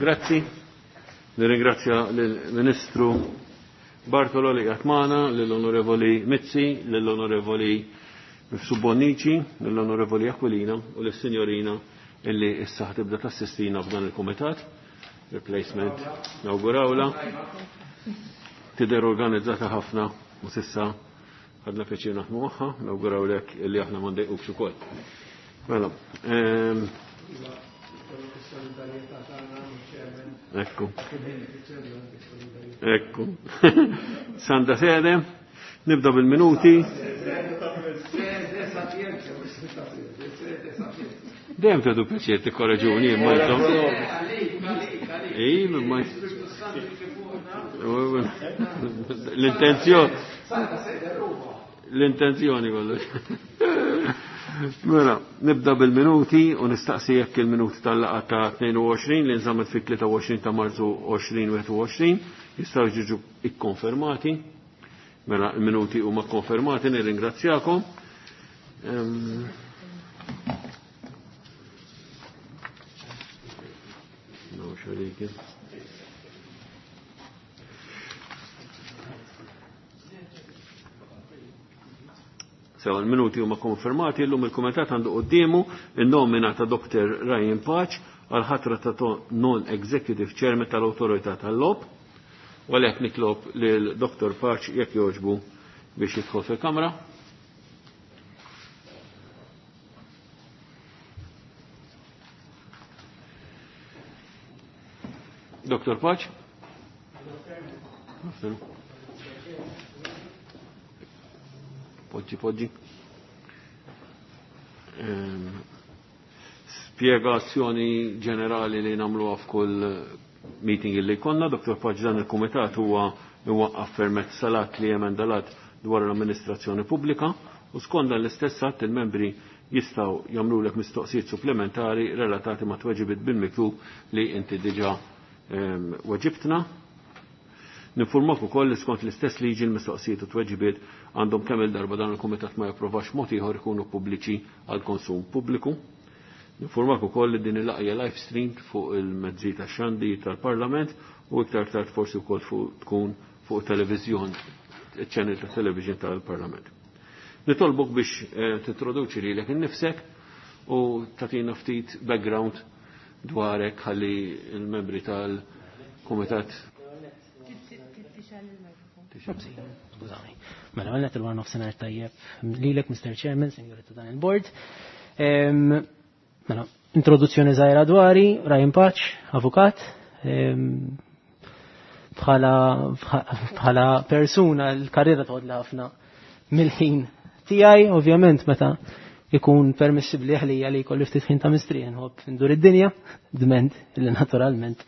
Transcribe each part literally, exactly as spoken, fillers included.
Grazzi. Nirringrazzja lill-Ministru Bartolo li qiegħed magħna, lill-Onorevoli Mizzi, lill-Onorevoli Mifsud Bonnici, lill-Onorevoli Aquilina u lis-Sinjorina illi issa tibda tassistina f'dan il-kumitat. Replacement nawgurawla. Tidher organizzata ħafna u s'issa ħadna pjaċir naħdmu magħha, nawgurawlek illi aħna ma ndejqukx ukoll. Mela, ehm, Ekku. Ekku. Santa sede. Nibda bil-minuti. Dejjem tagħtu pjaċir tikkoraġuni imma intom. Ej, imma l-intenzjoni. L-intenzjoni kollox. Mela, nibda bil-minuti u nistaqsi jekk il-minuti tal-laqgħa ta' tnejn u għoxrin li nżammet fit-tlieta u għoxrin ta' Marzu għoxrin wieħed u għoxrin jistgħu jiġu ikkonfermati. Mela, il-minuti huma konfermati, nirringrazzjakom. Ehm, No, xaliki. Sewa l-minuti huma konfermati, llum il-kumitat għandu quddiemu in-nomina ta' Doktor Ryan Pace għal ħatra ta' non-executive chairman tal-Awtorità tal-Logħob. U għalhekk nitlob lil Doktor Pace jekk jogħġbu biex jidħol fil-kamra. Doktor Pace? Poġġi, poġġi. Ehm, spiegazzjoni ġenerali li nagħmluha f'kull meeting li jkollna. Doktor Pace, dan il-kumitat huwa iwaqqaf permezz salat li emendalat dwar l-amministrazzjoni pubblika u skont dan l-istess att il-membri jistgħu jagħmlulek mistoqsijiet supplementari relatati ma' tweġibiet bil-miktub li inti diġà, ehm, weġibtna. Ninformak ukoll li skont l-istess liġi l-mistoqsijiet u tweġibiet għandhom kemm il-darba dan il-kumitat ma japprovax mod ieħor ikunu pubbliċi għal konsum pubbliku. Ninformak ukoll li din il-laqgħa live stream fuq il-mezzi tax-xandi tal-Parlament u iktar tard forsi wkoll fuq tkun fuq televiżjon, il-channel ta' television tal-Parlament. Nitolbok biex, eh, tintroduċi lilek innifsek u tagħtina ftit background dwarek ħalli il-membri tal-Kumitat. Skużani. Mela, għalnet il-war nofsinhar tajjeb lilek, Mister Chairman, Sinjuri ta' dan il-Board. Em, mela, introduzzjoni żgħira dwari, Ryan Pace, avukat. Em, bħala, bħala persuna l-karriera toħodla ħafna mill-ħin tiegħi, ovvjament meta ikun permissibbli għalija li jkolli ftit ħin ta' mistrieħ nħobb ndur id-dinja, dment li naturalment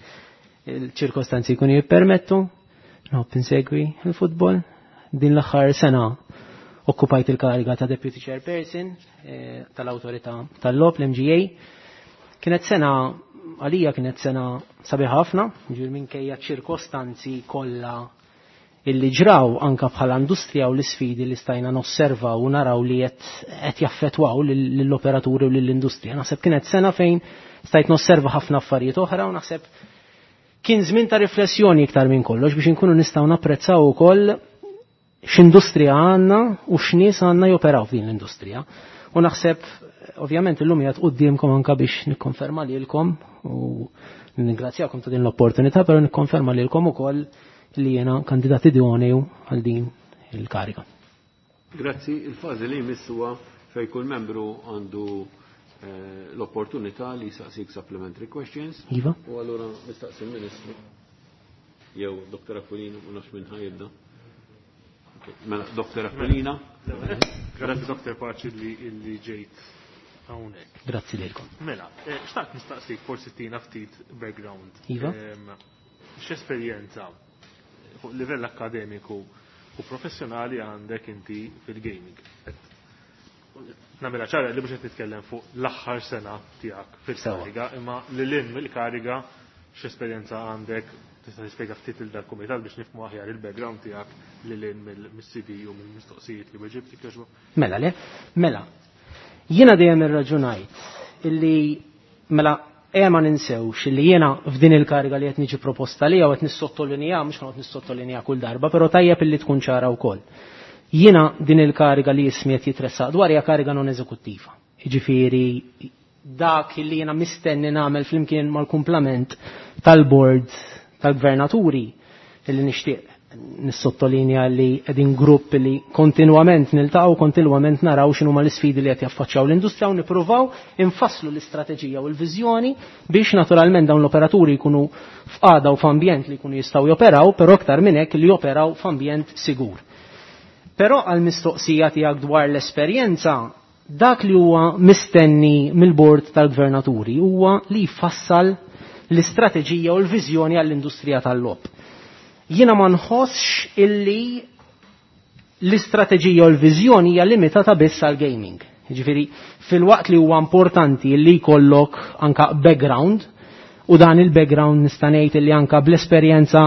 il-ċirkostanzi jkunu jippermettu, nħobb insegwi il-futbol. Din l-aħħar sena okkupajt il-kariga ta' Deputy Chairperson, eh, tal-Awtorità tal-Logħob, l-M G A. Kienet sena, għalija kienet sena sabiħa ħafna, ġifieri minkejja ċirkostanzi kollha illi ġraw anka bħala industrija u l-isfidi li stajna nosservaw u naraw li qed, qed jaffettwaw lill-operaturi u lill-industrija. Naħseb kienet sena fejn stajt nosserva ħafna affarijiet oħra u naħseb kien żmien ta' riflessjoni iktar minn kollox biex inkunu nistgħu napprezzaw ukoll x'industrija għandna u x'nies għandna joperaw f'din l-industrija. U naħseb ovvjament illum qiegħed quddiemkom anka biex nikkonferma lilkom u ningrazzjakom ta' din l-opportunità, però nikkonferma lilkom ukoll li jiena kandidat idoneu għal din il-kariga. Grazzi, il-fażi li jmiss huwa fejn kull membru għandu, eh, l-opportunità li jsaqsik supplementary questions. Iva. U allura nistaqsi l-Ministru jew Doktor Aquilina, ma nafx minn ħajibda. Mela, Doktor Aquilina. Grazzi Doktor Pace li, li ġejt hawnhekk. Grazzi lilkom. Mela, eh, xtaqt nistaqsik forsi tina ftit background. Iva. Ehm, x'esperjenza fuq livell akademiku u professjonali għandek inti fil-gaming? Nagħmilha ċara li mhux qed nitkellem fuq l-aħħar sena tiegħek fil-kariga, imma lil hinn mill-kariga x'esperjenza għandek, tista' tispjega ftit lil dal-kumitat biex nifhmu aħjar il-background tiegħek lil hinn mill-C V u mill-mistoqsijiet li weġibt jogħġbok. Mela le, mela. Jiena dejjem irraġunajt illi mela Ejja ma ninsewx li jiena f'din il-kariga li qed niġi proposta li qed nissottolinja, mhux ħanoqgħod nissottolinja kull darba, però tajjeb illi tkun ċara wkoll. Jiena din il-kariga li ismi qed jitressaq dwar hija kariga non eżekuttiva. Jiġifieri dak li jiena mistenni nagħmel flimkien mal-kumplament tal-board tal-gvernaturi illi nixtieq nissottolinja li qegħdin grupp li kontinwament niltaqgħu, kontinwament naraw x'inhuma l-isfidi li qed jaffaċċjaw l-industrija u nippruvaw infasslu l-istrateġija u l-viżjoni biex naturalment dawn l-operaturi jkunu f'qagħda u f'ambjent li jkunu jistgħu joperaw, però aktar minn hekk li joperaw f'ambjent sigur. Però għall-mistoqsija tiegħek dwar l-esperjenza, dak li huwa mistenni mill-bord tal-gvernaturi huwa li jfassal l-istrateġija u l-viżjoni għall-industrija tal-logħob. Jiena ma nħossx illi l-istrateġija u l-viżjoni hija limitata biss għal gaming. Jiġifieri fil-waqt li huwa importanti li jkollok anka background, u dan il-background nista' ngħid illi anka bl-esperjenza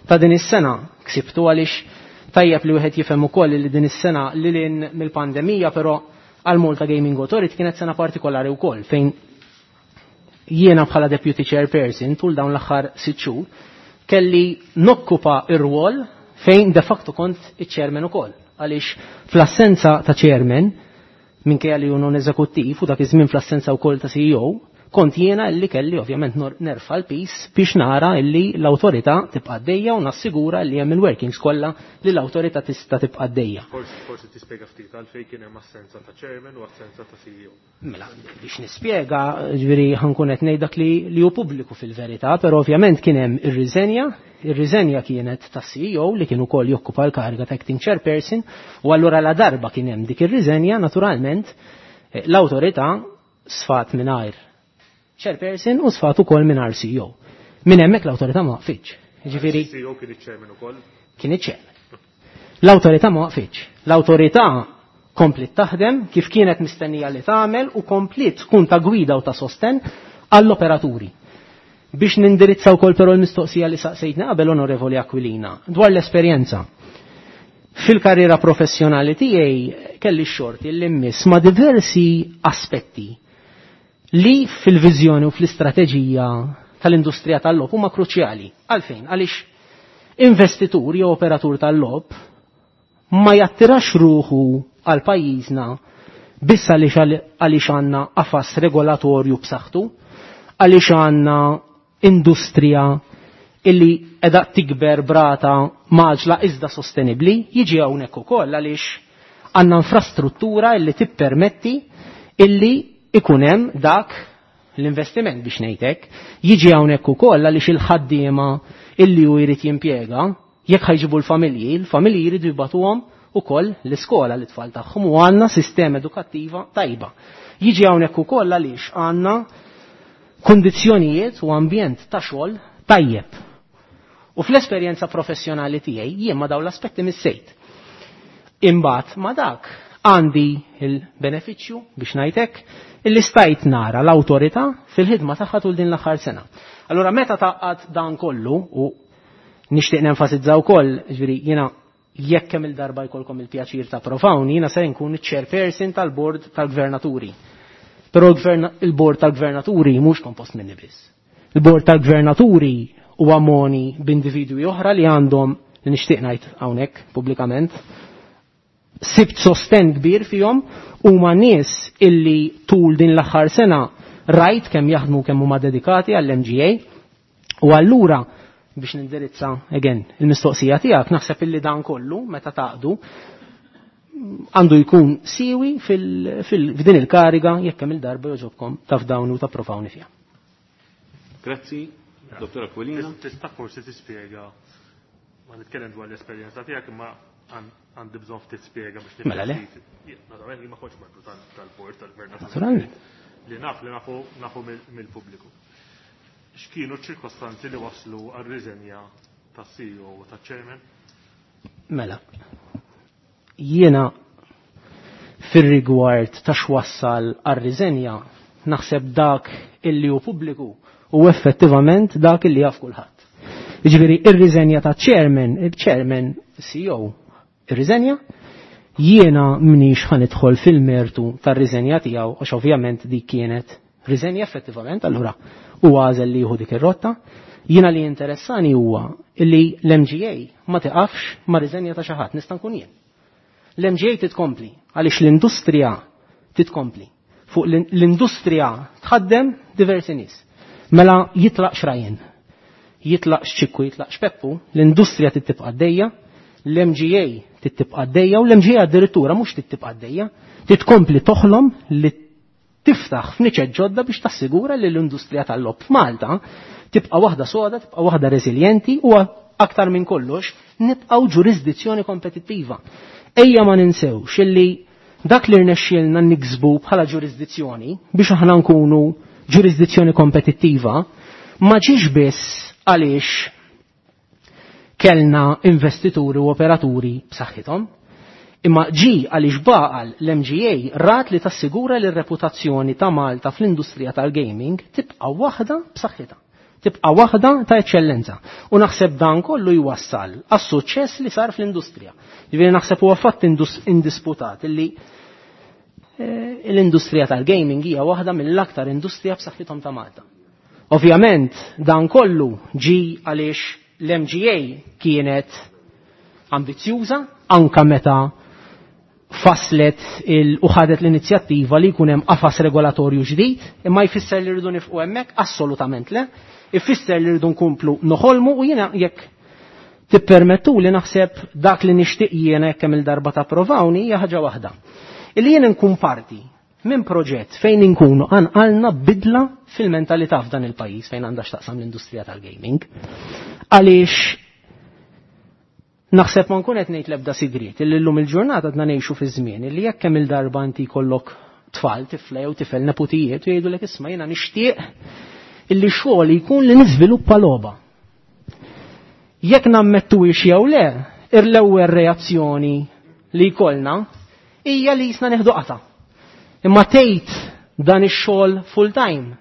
ta' din is-sena ksibtu, għaliex tajjeb li wieħed jifhem ukoll li din is-sena lil hinn mill-pandemija, però għal Malta Gaming Authority kienet sena partikolari wkoll fejn jiena bħala deputy chairperson tul dawn l-aħħar sitt xhur kelli nokkupa ir-rwol fejn de facto kont iċ-chairman ukoll. Għaliex fl-assenza ta' chairman, minkejja li hu non eżekuttiv u dak iż-żmien fl-assenza wkoll ta' C E O, kont jiena illi kelli ovvjament nerfa' l-pis biex nara illi l-awtorità tibqa' għaddejja u nassigura li hemm il-workings kollha li l-awtorità tista' tibqa' għaddejja. Forsi, forsi tispjega ftit għalfejn kien hemm assenza ta' chairman u assenza ta' C E O. Mela, biex nispjega, ġifieri ħankun qed ngħid dak li, li hu pubbliku fil-verità, però ovvjament kien hemm ir-riżenja, ir-riżenja kienet ta' C E O li kien ukoll jokkupa l-kariga ta' acting chairperson, u allura la darba kien hemm dik ir-riżenja, naturalment, eh, l-awtorità sfat mingħajr chairperson u sfat ukoll mingħajr C E O. Minn hemmhekk l-awtorità ma waqfitx. Jiġifieri C E O kien iċ-chairman ukoll? Kien iċ-chairman. L-awtorità ma waqfitx. L-awtorità komplet taħdem kif kienet mistennija li tagħmel u komplet tkun ta' gwida u ta' sosten għall-operaturi. Biex nindirizza wkoll però l-mistoqsija li saqsejtna qabel Onorevoli Aquilina dwar l-esperjenza. Fil-karriera professjonali tiegħi kelli x-xorti li mmiss ma' diversi aspetti li fil-viżjoni u fl-istrateġija tal-industrija tal-logħob huma kruċjali. Għalfejn? Għaliex investitur jew operatur tal-logħob ma jattirax ruħu għal pajjiżna biss għaliex għaliex għandna qafas regolatorju b'saħħtu, għaliex għandna industrija illi qiegħda tikber brata maġla iżda sostenibbli, jiġi hawnhekk ukoll għaliex għandna infrastruttura illi tippermetti illi ikun hemm dak l-investiment biex ngħidlek, jiġi hawnhekk ukoll għaliex il-ħaddiema illi hu jrid jimpjega, jekk ħajġibu l-familji, l-familji jridu jibatuhom ukoll l-iskola l-itfal tagħhom u għandna sistema edukattiva tajba. Jiġi hawnhekk ukoll għaliex għandna kundizzjonijiet u ambjent ta' xogħol tajjeb. U fl-esperjenza professjonali tiegħi jien ma dawn l-aspetti missejt. Imbagħad ma dak għandi il-benefiċċju biex ngħidlek illi stajt nara l-awtorità fil-ħidma tagħha tul din l-aħħar sena. Allura meta taqgħad dan kollu u nixtieq nenfasizza wkoll, ġifieri jiena jekk kemm il-darba jkollkom il-pjaċir ta' provawni, jiena se nkun iċ-chairperson tal-bord tal-gvernaturi. Però l-gvern-, il-bord tal-gvernaturi mhux kompost minni biss. Il-bord tal-gvernaturi huwa moni b'individwi oħra li għandhom li nixtieq ngħid hawnhekk pubblikament sibt sosten kbir fihom huma nies illi tul din l-aħħar sena rajt kemm jaħdmu kemm huma dedikati għall-M G A u allura biex nindirizza again il-mistoqsija tiegħek naħseb illi dan kollu meta taqdu għandu jkun siwi fil-, fil-, f'din il-kariga jekk hemm il-darba joġobkom taf dawn u tapprovawni fiha. Grazzi, Dottor Aquilina. Tista' forsi tispjega, ma nitkellem dwar l-esperjenza tiegħek imma għandi bżonn ftit spjega biex Mela le. nifhem ftit. Naturalment jien ma kontx membru tal-, tal-bord tal-gvern. Naturalment. Li naf li nafu, nafu mill-, mill-pubbliku. X'kienu ċ-ċirkostanzi li waslu għar-riżenja tas-C E O u taċ-chairman? Mela. Jiena fir-rigward ta' x'wassal għar-riżenja naħseb dak illi hu pubbliku u effettivament dak illi jaf kulħadd. Jiġifieri ir-riżenja ta' chairman, il-chairman C E O ir-riżenja, jiena m'iniex ħa nidħol fil-mertu tar-riżenja tiegħu għax ovvjament dik kienet Riżenja effettivament, allura u għażel li jieħu dik ir-rotta. Jiena li interessani huwa li l-M G A ma tiqafx ma riżenja ta' xi ħadd, nista' nkun jien. L-M G A titkompli għaliex l-industrija titkompli. Fuq l-industrija tħaddem diversi nies. Mela jitlaq Ryan, jitlaq Ċikku, jitlaq Peppu, l-industrija tibqa' għaddejja, l-M G A tibqa' għaddejja u l-M G A addirittura mhux tibqa' għaddejja, titkompli toħlom li tiftaħ f'niċeċ ġodda biex tassigura li l-industrija tal-logħob f'Malta tibqa' waħda soda, tibqa' waħda reżiljenti u aktar minn kollox nibqgħu ġurisdizzjoni kompetittiva. Ejja ma ninsewx illi dak li rnexxielna niksbu bħala ġurisdizzjoni biex aħna nkunu ġurisdizzjoni kompetittiva ma ġiex biss għaliex kellna investituri u operaturi b'saħħithom, imma ġi għaliex baqal l-M G A rat li tassigura li r-reputazzjoni ta' Malta fl-industrija tal-gaming tibqa' waħda b'saħħitha. Tibqa' waħda ta' eċċellenza. U naħseb dan kollu jwassal għas-suċċess li sar fl-industrija. Ġifieri naħseb huwa fatt indisputat illi eh, l-industrija tal-gaming hija waħda mill-aktar industrija b'saħħithom ta' Malta. Ovvjament dan kollu ġi għaliex l-M G A kienet ambizzjuża anka meta faslet u ħadet l-inizjattiva li jkun hemm qafas regolatorju ġdid, imma jfisser li rridu nifqu hemmhekk? Assolutament le. Ifisser li rridu nkomplu noħolmu u jiena, jekk tippermettu li, naħseb dak li nixtieq jiena, jekk hemm il-darba tapprovawni, hija ħaġa waħda. Illi jien nkun parti minn proġett fejn inkunu għanqalna bidla fil-mentalità f'dan il-pajjiż fejn għandha x'taqsam l-industrija tal-gaming. Għaliex naħseb ma nkun qed ngħid l-ebda sigriet illi llum il-ġurnata għadna ngħixu fi żmien illi jekk hemm il-darba inti jkollok tfal, tifla jew tifel, neputijiet, u jgħidulek, "Isma', jiena nixtieq illi xogħol jkun li niżviluppa logħba." Jekk nammettuhiex jew le, l-ewwel reazzjoni li jkollna hija li jisna neħdu qata. Imma tgħid dan ix-xogħol full time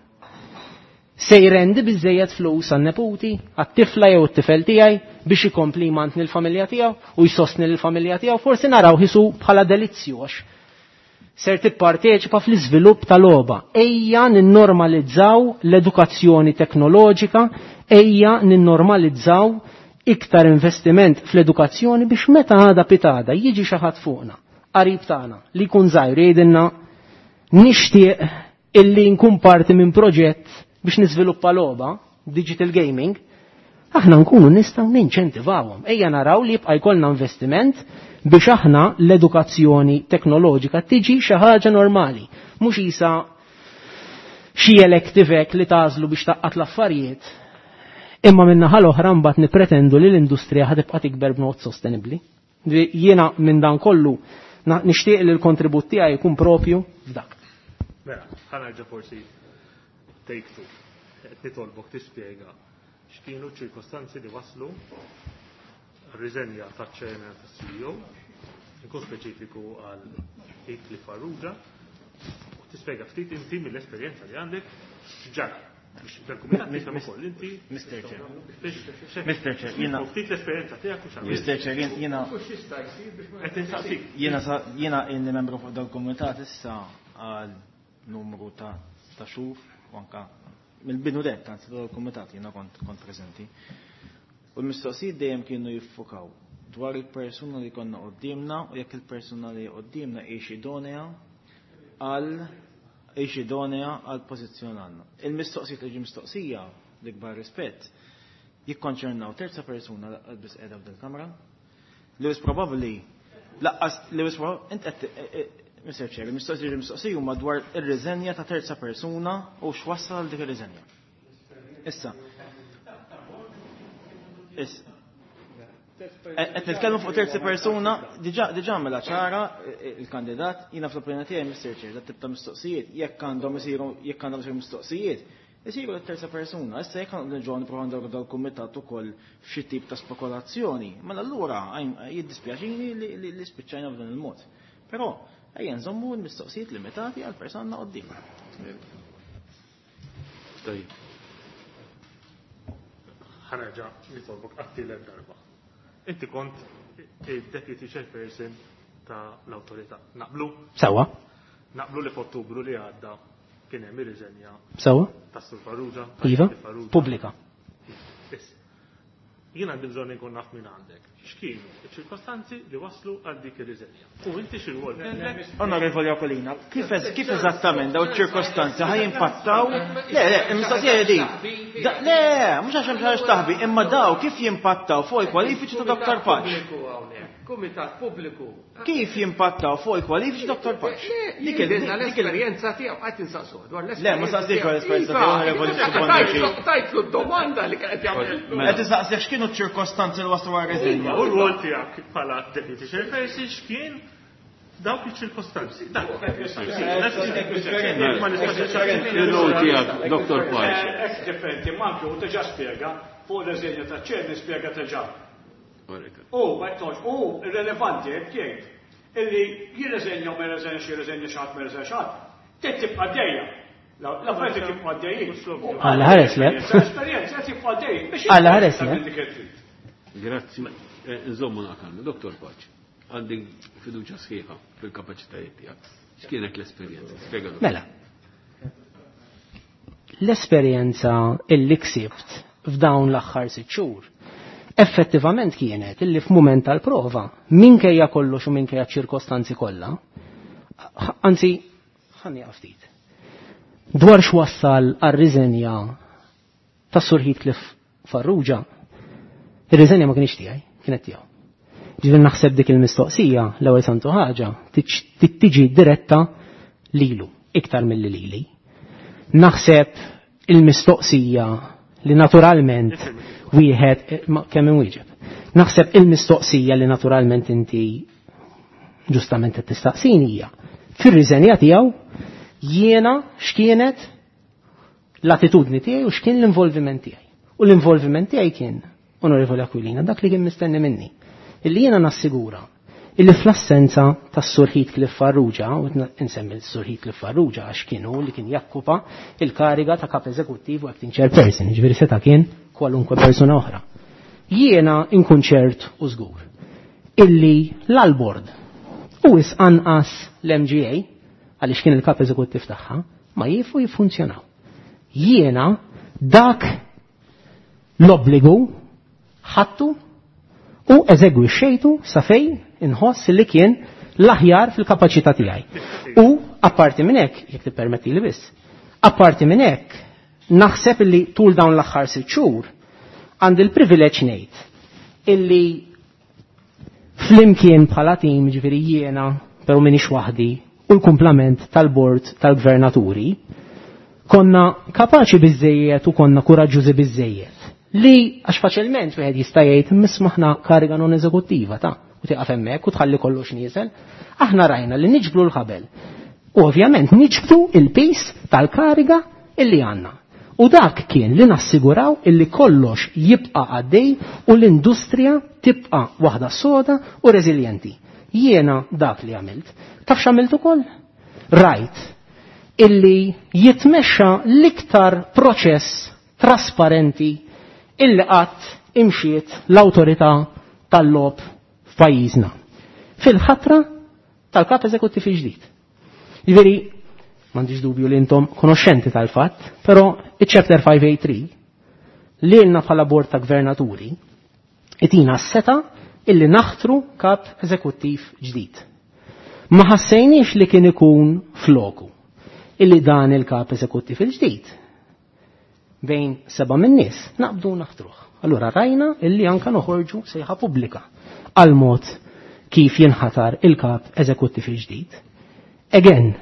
se jrendi biżejjed flus għan-neputi, għat-tifla jew it-tifel tiegħi biex ikompli jmantni l-familja tiegħu u jsostni l-familja tiegħu? Forsi naraw ħisu bħala delizzju għax ser tipparteċipa fl-iżvilupp tal-logħba. Ejja ninnormalizzaw l-edukazzjoni teknoloġika, ejja ninnormalizzaw iktar investiment fl-edukazzjoni biex meta għada pitgħada jiġi xi ħadd fuqna, qarib tagħna, li jkun żgħir, jgħidilna, "Nixtieq illi nkun parti minn proġett biex niżviluppa logħba, digital gaming", aħna nkunu nistgħu ninċentivawhom. Ejja naraw li jibqa' jkollna investiment biex aħna l-edukazzjoni teknoloġika tiġi xi ħaġa normali, mhux isa xi elective li tagħżlu biex tgħaqqad l-affarijiet. Imma min-naħa l-oħra mbagħad nipretendu li l-industrija ħa tibqa' tikber b'mod sostenibbli. Jiena minn dan kollu nixtieq li l-kontribut tiegħi jkun propju f'dak. Mela, ħa nerġa' forsi take two. Qed nitolbok tispjega x'kienu ċirkostanzi li waslu riżenja taċ-chairman, tas-C E O, nkun speċifiku għal Heathcliff Farrugia, u tispjega ftit inti mill-esperjenza li għandek x'ġara. Biex dal-kumitat tifhem ukoll inti. Mister Chair. Mister Chair, jiena Ftit l-esperjenza tiegħek u x'għamilt. Mister Chair, jiena Qed insaqsik. Jiena jiena inni membru fuq dal-kumitat issa għal numru ta' ta' xhur u anka mill-bidu nett, anzi, dal-kumitat jiena kont kont preżenti. U l-mistoqsijiet dejjem kienu jiffukaw dwar il-persuna li konna qoddimna u jekk il-persuna li qoddimna hix idonea għal hix idonea għal pożizzjon għandna. Il-mistoqsijiet li ġi mistoqsija, l-ikbar rispett, jikkonċernaw terza persuna laqqas biss qiegħda f'dil-kamra. Li wis probabbli laqqas li wis int qed, Mister Chair, il-mistoqsijiet li mistoqsija huma dwar ir-riżenja ta' terza persuna u x'wassal dik ir-riżenja. Issa. Issa. Qed nitkellmu fuq terzi persuna, diġà diġà mela ċara il-kandidat, jiena fl-opinjoni tiegħi, Mister Chair, dat tip ta' mistoqsijiet, jekk għandhom isiru jekk għandhom isiru mistoqsijiet, isiru l-terza persuna. Issa jekk għandhom ġo nipprovaw ndawru dal-kumitat ukoll f'xi tip ta' spekulazzjoni, mela allura jiddispjaċini li spiċċajna f'dan il-mod. Però ejja nżommu l-mistoqsijiet limitati għal persuna quddiem. Tajjeb. Ħa nerġa' nitolbok għat-tielet darba. Inti kont il-deputy chairperson ta' l-autorità. Naqblu? Sawa. Naqblu li f'Ottubru li għadda kien hemm ir-riżenja. Sewwa? Tas-Sur Farrugia. Iva, pubblika. Jien għandi bżonn inkun naf minn għandek. X'kienu ċ-ċirkostanzi li waslu għal dik ir-riżenja. U inti x'irwol kellek? Onorevoli Aquilina, kif kif eżattament daw iċ-ċirkostanzi ħa jimpattaw? Le, le, il-mistoqsija hi din. Le, mhux għax hemm xi ħaġa taħbi, imma daw kif jimpattaw fuq il-kwalifiċi ta' Dottor Pace? Kumitat pubbliku. Kif jimpattaw fuq il-kwalifiċi Dottor Pace? Dik l-esperjenza tiegħu qed insaqsuh dwar l-esperjenza. Le, ma saqsix dwar l-esperjenza tiegħu, onorevoli Bonnici. Tajtlu d-domanda li kienet jagħmel. Qed insaqsih x'kienu ċ-ċirkostanzi li waslu għar-reżenja. U r-rwol tiegħek bħala deputy chairperson x'kien dawk iċ-ċirkostanzi. Ir-rwol tiegħek, Dottor Pace. Hekk differenti manki u diġà spjega fuq ir-reżenja taċ-chair nispjega diġà. U, ma jtolx, u irrelevanti, jek jgħid, illi jirreżenja u ma jirreżenja xi jirreżenja xi ħadd ma jirreżenja xi ħadd, trid tibqa' għaddejja. L-affarijiet tibqa' għaddejjin. Alla ħares le. Esperjenza qed jibqa' għaddejjin. Alla ħares le. Grazzi. Nżommu naqalmu, Dottor Pace, għandi fiduċja sħiħa fil-kapaċitajiet tiegħek. X'kienet l-esperjenza? Spjega. Mela. L-esperjenza illi ksibt f'dawn l-aħħar sitt xhur effettivament kienet illi f'mument tal-prova, minkejja kollox u minkejja ċirkostanzi kollha, anzi, ħanni ftit. Dwar x'wassal għar-riżenja tas-Sur Heathcliff Farrugia, ir-riżenja ma kienx tiegħi, kienet tiegħu. Ġifieri naħseb dik il-mistoqsija l-ewwel santu ħaġa tiġi diretta lilu iktar milli lili. Naħseb il-mistoqsija li naturalment wieħed kemm inwieġeb. Naħseb il-mistoqsija li naturalment inti ġustament qed tistaqsini hija fir-riżenja tiegħu jiena x'kienet l-attitudni tiegħi u x'kien l-involviment tiegħi. U l-involviment tiegħi kien, Onorevoli Aquilina, dak li kien mistenni minni. Illi jiena nassigura illi fl-assenza tas-Sur Heathcliff Farrugia, u insemmi l-Sur Heathcliff Farrugia għax kienu li kien jakkupa il-kariga ta' kap eżekuttiv u acting chairperson, ġifieri seta' kien kwalunkwe persuna oħra. Jiena inkun ċert u żgur illi l-bord u is anqas l-M G A, għaliex kien il-kap eżekuttiv tagħha, ma jifu jiffunzjonaw. Jiena dak l-obbligu ħattu u eżegwixxejtu sa fejn inħoss li kien l-aħjar fil-kapaċità tiegħi. U apparti minn hekk, jekk tippermetti li biss, apparti minn hekk naħseb illi tul dawn l-aħħar sitt xhur għandi l-privileġġ ngħid illi flimkien bħala tim, ġifieri jiena, però m'iniex waħdi, u l-kumplament tal-bord tal-gvernaturi, konna kapaċi biżejjed u konna kuraġġużi biżejjed li għax faċilment wieħed jista' jgħid mismaħna kariga non eżekuttiva ta' u tieqaf hemmhekk u tħalli kollox nieżel. Aħna rajna li niġbdu l-ħabel. U ovvjament niġbdu il-pis tal-kariga illi għandna. U dak kien li nassiguraw illi kollox jibqa' għaddej u l-industrija tibqa' waħda soda u reżiljenti. Jiena dak li għamilt. Taf x'għamilt ukoll? Rajt illi jitmexxa l-iktar proċess trasparenti illi qatt imxiet l-awtorità tal-logħob f'pajjiżna. Fil-ħatra tal-kap eżekuttiv ġdid. Jiġifieri, m'għandix dubju li intom konoxxenti tal-fatt, però iċ-chapter five A three li lna bħala bord ta' gvernaturi itina s-seta illi naħtru kap eżekuttiv ġdid. Ma ħassejniex li kien ikun floku illi dan il-kap eżekuttiv il-ġdid bejn seba' min-nies naqbdu naħtruh. Allura rajna illi anka noħorġu sejħa pubblika għal mod kif jinħatar il-kap eżekuttiv il-ġdid. Again,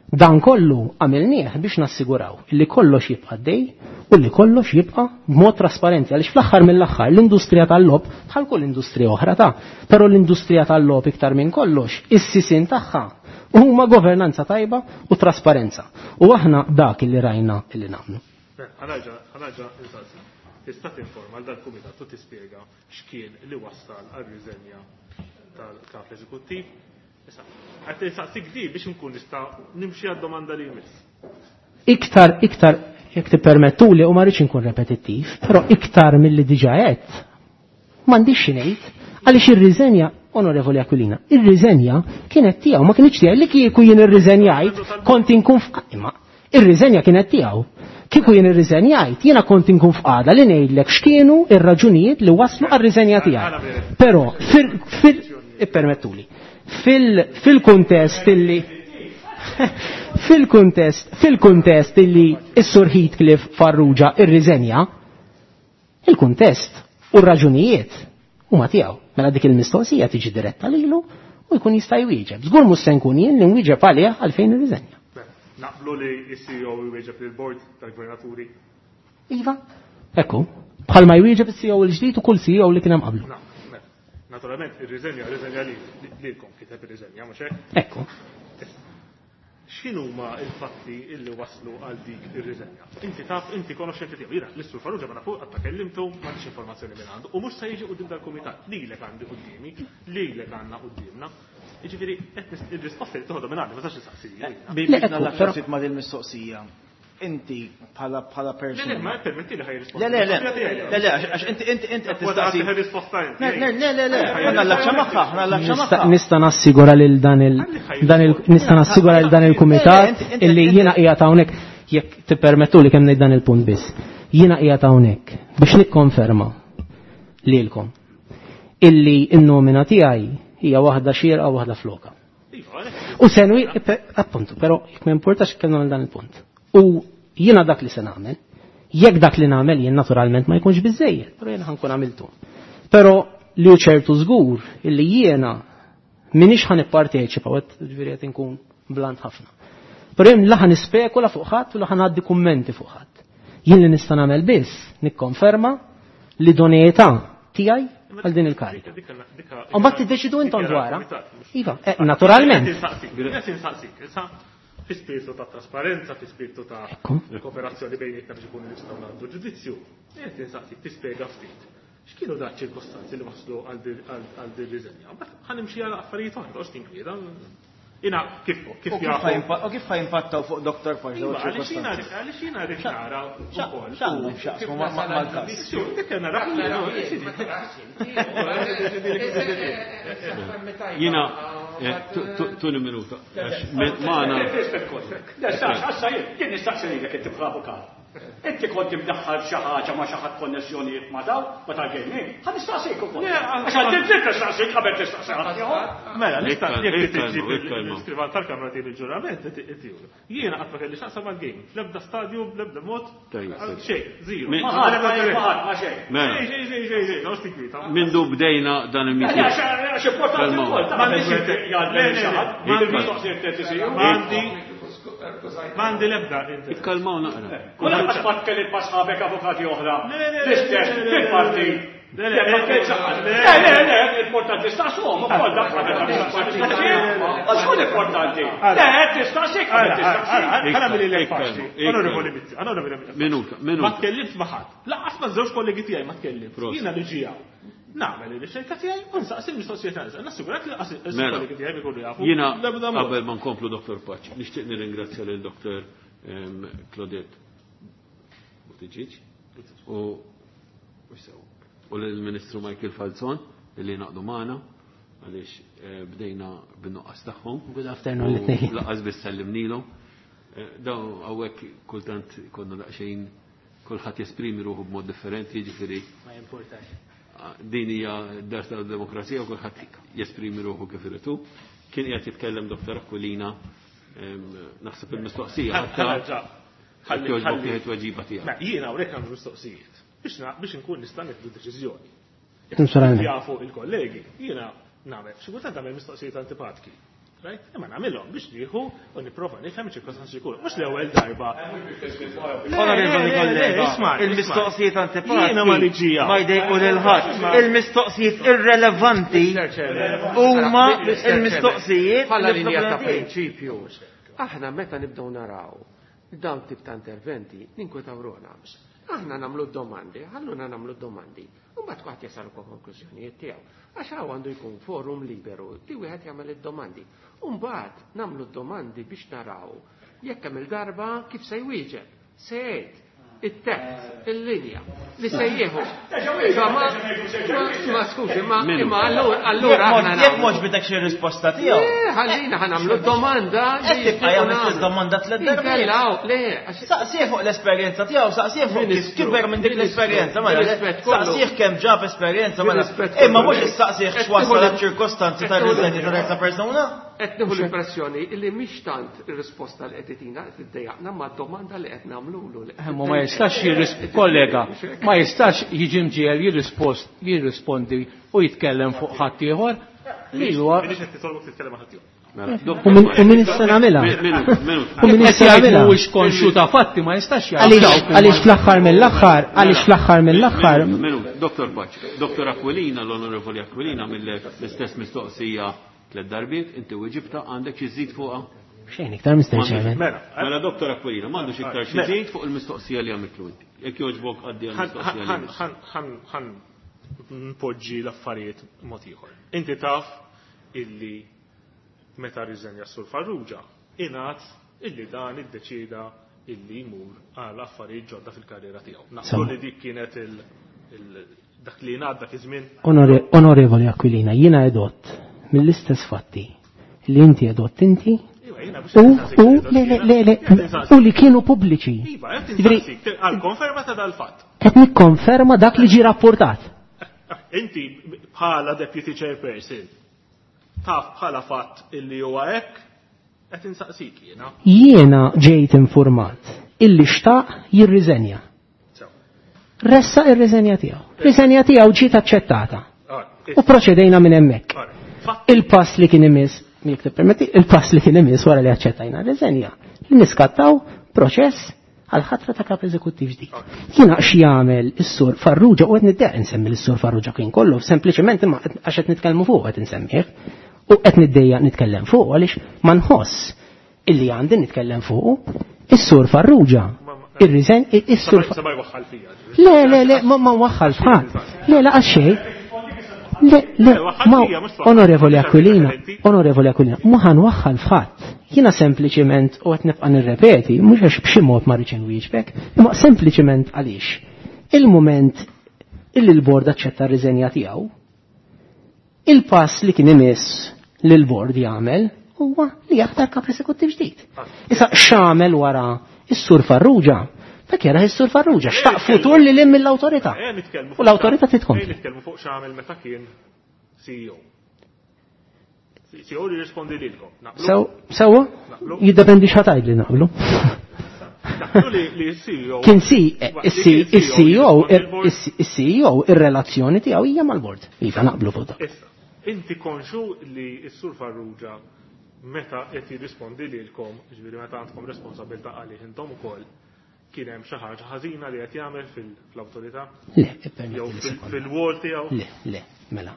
dan kollu għamilnieh biex nassiguraw illi kollox jibqa' dej u li kollox jibqa' b'mod trasparenti, għaliex fl-aħħar mill-aħħar l-industrija tal-logħob bħal kull industrija oħra ta', però l-industrija tal-logħob iktar minn kollox is-sisien tagħha huma governanza tajba u trasparenza. U aħna dak illi rajna illi nagħmlu. Ħanaġa, ħanaġa, insaqsi. Tista' tinforma għal dal-kumitat u tispjega x'kien li wassal għar-riżenja tal-kap eżekuttiv. Issa, qed insaqsik di biex nkun nista' nimxi għad-domanda li jmiss. Iktar, iktar, jekk tippermettuli, u ma rridx inkun repetittiv, però iktar milli diġà għedt, m'għandix xi ngħid, għaliex ir-riżenja, Onorevoli Aquilina, ir-riżenja kienet tiegħu, ma kienx tiegħi, li kieku jien irriżenjajt, kont inkun f-, imma Ir-riżenja kienet tiegħu. Kieku jien irriżenjajt, jiena kont inkun f'qagħda li ngħidlek x'kienu ir-raġunijiet li waslu għar-riżenja tiegħi. Però fil fil ippermettuli. Fil fil-kuntest illi fil-kuntest fil-kuntest illi s-Sur Heathcliff Farrugia irriżenja, il-kuntest u r-raġunijiet huma tiegħu. Mela dik il-mistoqsija tiġi diretta lilu u jkun jista' jwieġeb. Żgur mhux se nkun jien li nwieġeb għalih għalfejn irriżenja. Naqblu li s-C E O jwieġeb lill-bord tal-gvernaturi. Iva, ekku, bħalma jwieġeb is-C E O l-ġdid u kull C E O li kien hemm qablu. Naturalment, ir-riżenja, ir-riżenja lilkom kiteb ir-riżenja, mhux hekk? Ekku. X'inhuma l-fatti illi waslu għal dik ir-riżenja? Inti taf, inti konoxxenti tiegħu. Jiena l-Sur Farrugia ma nafu qatt ta' kellimtu, m'għandix informazzjoni minn għandu u mhux se jiġi quddiem dal-kumitat. Lilek għandi quddiemi, lilek għandna quddiemna. Jiġifieri qed ir-risposta li toħodha minn għandi ma tistax tistaqsija. Biex nagħlaq ftit ma' din il-mistoqsija. Inti bħala bħala persuna. Le, le, ma permetti li ħaj risposta. Le, le, le. Le, le, għax inti inti inti qed tistaqsi. Risposta inti. Le, le, le, le, ħa magħha, ħa magħha. Nista' nassigura lil dan il dan il nista' nassigura lil dan il-kumitat illi jiena qiegħed hawnhekk jekk tippermettu li kemm ngħid dan il-punt biss. Jiena qiegħed hawnhekk biex nikkonferma lilkom illi n-nomina tiegħi hija waħda xierqa u waħda floka. U senwi appuntu, però jekk ma importax kemm nagħmel dan il-punt. U jiena dak li se nagħmel, jekk dak li nagħmel jien naturalment ma jkunx biżejjed, però jiena ħankun għamiltu. Però li hu ċertu żgur illi jiena m'iniex ħa nipparteċipa, u qed ġifieri qed inkun blant ħafna. Però jien la ħa nispekula fuq ħadd u la ħa ngħaddi kummenti fuq ħadd. Jien li nista' nagħmel biss nikkonferma l-idoneità tiegħi għal din il-karika. U mbagħad tiddeċidu intom dwarha. Iva, naturalment. Fi spiritu ta' trasparenza, fi spiritu ta' kooperazzjoni bejnietna biex ikunu nistgħu nagħmlu ġudizzju. Qed insaqsik tispjega ftit. X'kienu dak ċirkostanzi li waslu għal din riżenja? Mbagħad ħa nimxi għal affarijiet oħra, toqgħodx tinkwieta. Jiena kif kif jafu. U kif ħa jimpattaw fuq Doktor Pace dawn iċ-ċirkostanzi? Għaliex jiena rrid nara wkoll. X'għandhom x'jaqsmu mal-każ? Dik nara. Jiena tuni minuta. Maħna. Jien nistaqsi lilek inti bħala avukat. Inti kont imdaħħal xi ħaġa ma' xi ħadd konnessjonijiet ma' daw, ma tal-gaming. Ħa nistaqsik ukoll. Għax għandi dritt nistaqsik qabel tistaqsi ħadd ieħor. Mela, nista' jekk tiġi l-iskrivan tal-kamra tiegħi il-ġurament, jiena qatt ma kelli x'aqsam mal-gaming. Fl-ebda stadju, bl-ebda mod, xejn, zero. Ma ħadd, ma ħadd, ma xejn. Xejn, xejn, xejn, xejn, noqgħodx tinkwieta. Mindu bdejna dan il-meeting. Għax importanti wkoll. M'għandix jgħaddi xi ħadd, mistoqsijiet qed isiru. M'għandi M'għandi l-ebda. Ikkalmaw naqra. Kull qatt ma tkellimt ma' sħabek avukati oħra. L-istess fil-parti. Le, le, le, importanti staqsuhom ukoll dak Għax importanti. Le, tistaqsik qabel tistaqsik. Ħa nagħmel lilek faċli. Onorevoli Mizzi, onorevoli Mizzi. Minuta, minuta. Ma tkellimt ma' ħadd. Lanqas ma' żewġ kollegi tiegħi ma tkellimt. Jiena li ġija. Nagħmel ir-riċerka tiegħi u nsaqsi l-mistoqsijiet tiegħi. Nassigurak li lanqas il-kollegi tiegħi jkunu jafu. Jiena qabel ma nkomplu Doktor Pace, nixtieq nirringrazzja lil Doktor Claudette Buttigieg u u lill-Ministru Michael Falzon li naqdu magħna għaliex bdejna bin-nuqqas tagħhom. Good afternoon l-tnejn. Laqas biss sellimnilhom. Dawn hawnhekk kultant konna daqsxejn kulħadd jesprimi ruħu b'mod differenti, jiġifieri. Ma jimpurtax. Din hija d-dar tad-demokrazija u kulħadd jesprimi ruħu kif irid hu. Kien qiegħed jitkellem Doktor Aquilina, naħseb il-mistoqsija ħatta ħalli jogħġbok tieħed tweġiba tiegħek. Mela jiena hawnhekk għandu mistoqsijiet biex biex inkun nista' nieħdu deċiżjoni. Jafu il-kollegi, jiena nagħmel xi kultant nagħmel mistoqsijiet antipatiki. Right? Imma nagħmilhom biex nieħu u nipprova nifhem iċ-ċirkostanzi jkunu. Mhux l-ewwel darba. Onorevoli kollega, il-mistoqsijiet antipatiki ma jdejqu lil ħadd. Il-mistoqsijiet irrelevanti huma il-mistoqsijiet bħala linja ta' prinċipju. Aħna meta nibdew naraw dawn tip ta' interventi ninkwetaw ruħna. Aħna nagħmlu domandi, ħalluna nagħmlu domandi. U mbagħad kulħadd jasal konklużjonijiet tiegħu. Għax hawn għandu jkun forum liberu li wieħed jagħmel id-domandi. U mbagħad nagħmlu d-domandi biex naraw jekk hemm il-darba kif se jwieġeb, se jgħid it-test, il-linja li se jieħu. Ma skużi, ma imma allura aħna jekk mhux bidek xi risposta tiegħu. Ħallina ħa nagħmlu domanda. Qed tibqa' jagħmel l-istess domanda tliet darbiet. Le, Saqsih fuq l-esperjenza tiegħu, saqsih fuq kif kiber minn dik l-esperjenza, mela. Saqsih kemm ġab esperjenza, mela. Imma mhux issaqsih x'wassal ċirkostanzi tar-riżenja ta' terza persuna. Qed nieħu l-impressjoni li mhix tant ir-risposta li qed itina qed iddejjaqna ma' domanda li qed nagħmlulu. Ma jistax kollega, ma jistax jiġi mġiegħel jirrispondi u jitkellem fuq ħadd ieħor. U min issa nagħmilha? U min issa nagħmilha? Mhuwiex konxju ta' fatti ma jistax jgħid. Għaliex fl-aħħar mill-aħħar, għaliex fl-aħħar mill-aħħar. Doktor Paċ, Doktor Aquilina, l-Onorevoli Aquilina mill-istess mistoqsija tliet darbiet, inti weġibta għandek xi żid fuqha? Xejn iktar Mister Chairman. Mela Doktor Aquilina, m'għandux iktar xi żid fuq il-mistoqsija li għamiltlu inti. Jekk jogħġbok għaddi għall-mistoqsija li. Ħan npoġġi l-affarijiet mod ieħor. Inti taf illi meta rriżenja s-Sur Farrugia, ingħad illi dan iddeċieda illi jmur għal affarijiet ġodda fil-karriera tiegħu. Naqblu li dik kienet il dak li ngħad dak iż-żmien. Onorevoli Aquilina, jiena edott mill-istess fatti li inti edott inti u u le le le u li kienu pubbliċi. Iva, qed għal konferma ta' dal-fatt. Qed nikkonferma dak li ġie rapportat. Inti bħala deputy chairperson taf bħala fatt illi huwa hekk qed insaqsik jiena. Jiena ġejt informat illi xtaq jirriżenja. Ressa ir-riżenja tiegħu. Riżenja tiegħu ġiet aċċettata. U proċedejna minn hemmhekk. Il-pass li kien imiss, jekk tippermetti, il-pass li kien imiss wara li aċċettajna r-riżenja, li niskattaw proċess għal ħatra ta' kap eżekuttiv ġdid. Jiena x'jagħmel is-Sur Farrugia u qed niddeq insemmi lis-Sur Farrugia kien kollu, sempliċement imma għax qed nitkellmu fuq qed insemmih u qed niddejjaq nitkellem fuq għaliex ma nħoss illi għandi nitkellem fuq is-Sur Farrugia. Ir-riżen is-Sur Le, le, le, ma waħħal f'ħadd. Le, laqas xejn. Le, le, ma Onorevoli Aquilina, Onorevoli Aquilina, ma ħanwaħħal f'ħadd. Jiena sempliċiment u qed nibqa' nirrepeti, mhux għax b'xi mod ma rridx inwieġbek, imma sempliċiment għaliex. Il-mument illi l-bord aċċetta r-riżenja tiegħu, il-pass li kien imiss li l-bord jagħmel huwa li jaħtar kap eżekuttiv ġdid. Issa x'għamel wara is-Sur Farrugia? Dak jara is-Sur Farrugia, xtaq futur li lim mill-awtorità. U l-awtorità titkompli. Nitkellmu fuq x'għamel meta kien C E O. C E O li jirrispondi lilkom. Sewwa? Jiddependi x'ħatajd li naqblu. Kien si is-C E O is-C E O ir-relazzjoni tiegħu hija mal-bord. Iva naqblu fuq dak. Issa, inti konxu li s-Sur Farrugia meta qed jirrispondi lilkom, ġifieri meta għandkom responsabilità għalih intom ukoll, kien hemm xi ħaġa ħażina li qed jagħmel fl-awtorità? Le, ippermetti fil-wol tiegħu? Le, le, mela.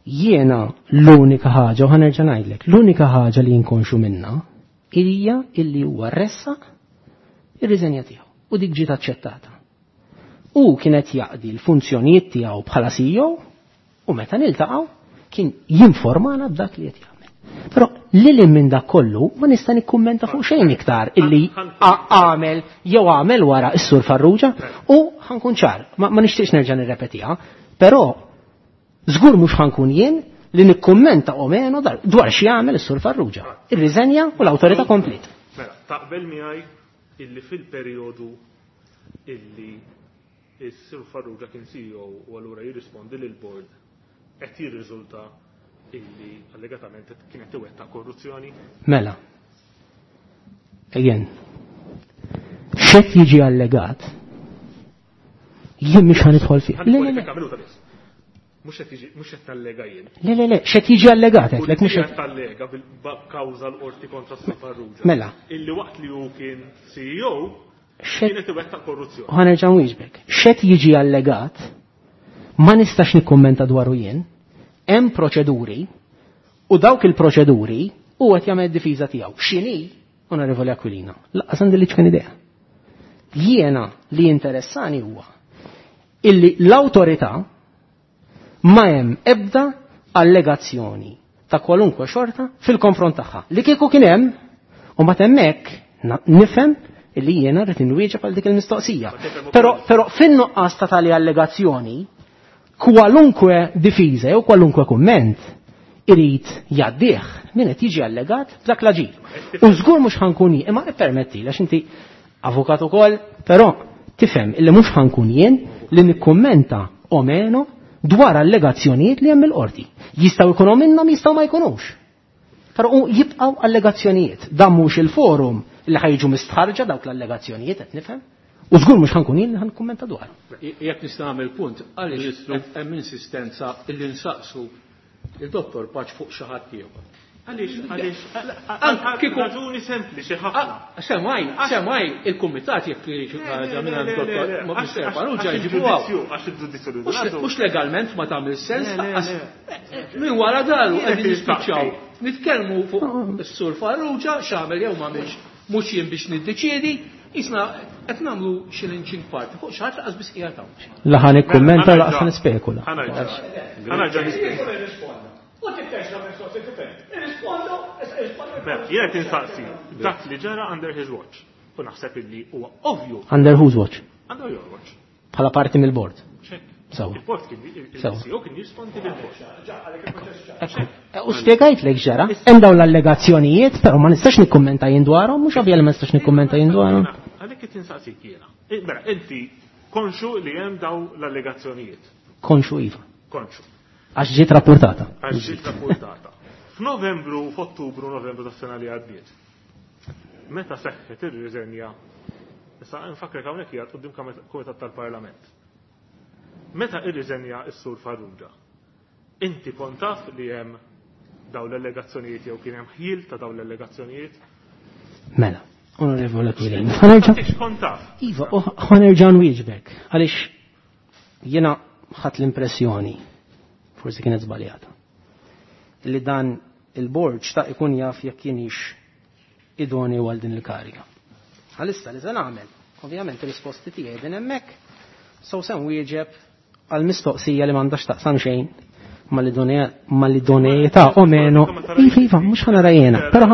Jiena l-unika ħaġa, u ħanerġa' ngħidlek, l-unika ħaġa li jinkonxu minna hija illi huwa ressaq ir-riżenja tiegħu u dik ġiet aċċettata. U kienet jaqdi l-funzjonijiet tiegħu bħala C E O u meta niltaqgħu kien jinformana b'dak li qed jagħmel. Però lil minn dak kollu ma nista' nikkummenta fuq xejn iktar illi għamel jew għamel wara s-Sur Farrugia u ħankun ċar, ma nixtieqx nerġa' nirrepetiha, però żgur mhux ħankun jien li nikkummenta o meno dwar xi jagħmel is-Sur Farrugia. Ir-riżenja u l-awtorità komplet. Mela, taqbel miegħi illi fil-perjodu illi s-Sur Farrugia kien C E O u allura jirrispondi lill-board qed jirriżulta illi allegatament kienet iwettaq korruzzjoni? Mela. Ejjen. X'qed jiġi allegat? Jien mhux ħanidħol fih. Le, le, le. Mhux qed jiġi, mhux qed tallega jien. Le, le, le, x'qed jiġi allegat qed mhux qed tallega bil-kawża l-qorti kontra s-Sur Farrugia. Mela. Illi waqt li hu kien C E O kienet iwettaq korruzzjoni. U ħanerġa' nwieġbek. X'qed jiġi allegat ma nistax nikkummenta dwaru jien. Hemm proċeduri u dawk il-proċeduri u qed jagħmel difiża tiegħu. X'inhi, Onorevoli Aquilina, lanqas għandi li ċken idea. Jiena li interessani huwa illi l-awtorità ma hemm ebda allegazzjoni ta' kwalunkwe xorta fil-konfront tagħha. Li kieku kien hemm u ma hemmhekk nifhem illi jiena rrid inwieġeb għal dik il-mistoqsija. Però però fin-nuqqas ta' tali allegazzjoni kwalunkwe difiża jew kwalunkwe kumment irid jgħaddih min qed jiġi allegat b'dak l-aġir. U żgur mhux ħankun jien, imma ippermetti għax inti avukat ukoll, però tifhem illi mhux ħankun jien li nikkummenta o meno dwar allegazzjonijiet li hemm il-qorti. Jistgħu jkunu minnhom, jistgħu ma jkunux. Però jibqgħu allegazzjonijiet. Dan mhux il-forum li ħajġu mistħarġa dawk l-allegazzjonijiet qed nifhem. U żgur mhux ħankun jien li ħankkummenta dwar. Jekk nista' nagħmel punt, għaliex hemm insistenza illi nsaqsu il-Dottor Pace fuq xi ħadd ieħor. Għaliex, għaliex, għal raġuni sempliċi ħafna. Semmaj, semmaj, il-kumitat jekk ħaġa minn dottor Mister Farrugia jġibuha. Għax il-ġudizzju li Mhux legalment ma tagħmel sens, minn wara daru qegħdin nispiċċaw. Nitkellmu fuq is-Sur Farrugia x'għamel jew m'għamilx, mhux jien biex niddeċiedi, jisna qed nagħmlu xi lynching party fuq xi ħadd laqas biss qiegħed hawn. La ħa nikkummenta laqas nispekula. Ħa nerġa' nispekula. U tittex la mistoqsi tifhem. Irrispondu, irrispondu. Jien qed insaqsi dak li ġara under his watch. U naħseb illi huwa ovvju. Under whose watch? Under your watch. Bħala parti mill-board. Sewa. Il-board kien il-C E O kien jirrispondi lill-board. U spjegajtlek ġara, hemm dawn l-allegazzjonijiet, però ma nistax nikkummenta jien dwarhom, mhux ovvja li ma nistax nikkummenta jien dwarhom. Għalhekk qed insaqsik jiena. Mela, inti konxu li hemm dawn l-allegazzjonijiet. Konxu iva. Konxu. Għax ġiet rapportata. Għax ġiet rapportata. F'Novembru, f'Ottubru, Novembru tas-sena li għaddiet. Meta seħħet ir-riżenja, issa nfakrek hawnhekk hija quddiem Kumitat tal-Parlament. Meta ir-riżenja s-Sur Farrugia, inti kont taf li hemm dawn l-allegazzjonijiet jew kien hemm ħjiel ta' dawn l-allegazzjonijiet? Mela, Onorevole Aquilina, ħa nerġa'. Kont taf. Iva, ħa nerġa' nwieġbek għaliex jiena ħadt l-impressjoni, forsi kienet żbaljata, li dan il-board xtaq ikun jaf jekk kienix idoni għal din il-kariga. Għalissa li se nagħmel, ovvjament ir-risposti tiegħi din hemmhekk, so se nwieġeb għal mistoqsija li m'għandax taqsam xejn mal-idoneità o meno. Iva, iva, mhux ħa nara jiena, però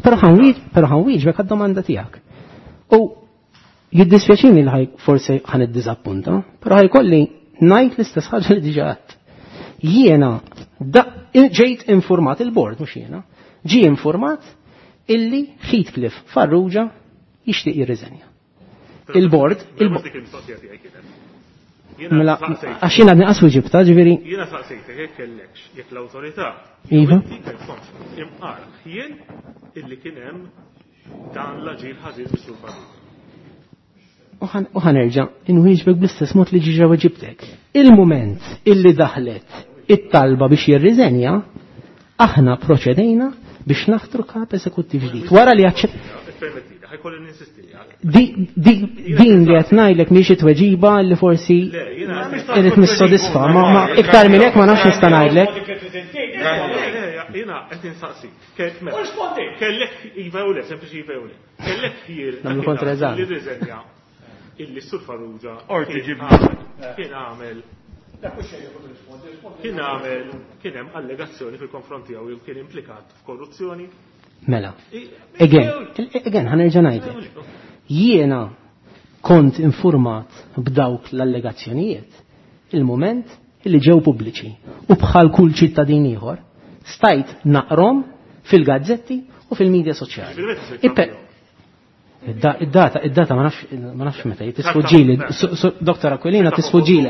però ħa nwieġbek għad-domanda tiegħek. U jiddispjaċini li ħaj forsi ħa niddiżappunta, però ħajkolli ngħid l-istess ħaġa li diġà għedt. Jiena ġejt informat il-board, mhux jiena, ġie informat illi Heathcliff Farrugia jixtieq jirriżenja. Il-board, il-board. Mela, għax jiena għadni qaswi ġibta, ġifieri. Jiena saqsejtek jekk kellekx, jekk l-awtorità. Iva. Imqar jien illi kien hemm dan l-aġir ħażin mis-Sur Farrugia. U ħa nerġa' inwieġbek bl-istess mod li ġiġa weġibtek. Il-mument illi daħlet it-talba biex jirriżenja, aħna proċedejna biex naħtru kap eżekuttiv ġdid. Wara li aċċett. Din li qed ngħidlek mhix it-tweġiba li forsi irid nissodisfa, ma iktar minn hekk ma nafx nista' ngħidlek. Jiena qed insaqsik. Kellek iva u le, sempliċi iva u le. Kellek ħjiel nagħmlu kontra-eżami. Li rriżenja illi s-Sur Farrugia kien għamel kien għamel kien hemm allegazzjoni fil-konfront tiegħu jew kien implikat f'korruzzjoni. Mela. Again, again, ħa nerġa' ngħidlek. Jiena kont informat b'dawk l-allegazzjonijiet il-moment illi ġew pubbliċi u bħal kull ċittadin ieħor stajt naqrom fil-gazzetti u fil-medja soċjali. Id-data, id-data ma nafx meta tisfuġġili, Dottor Aquilina tisfuġġili,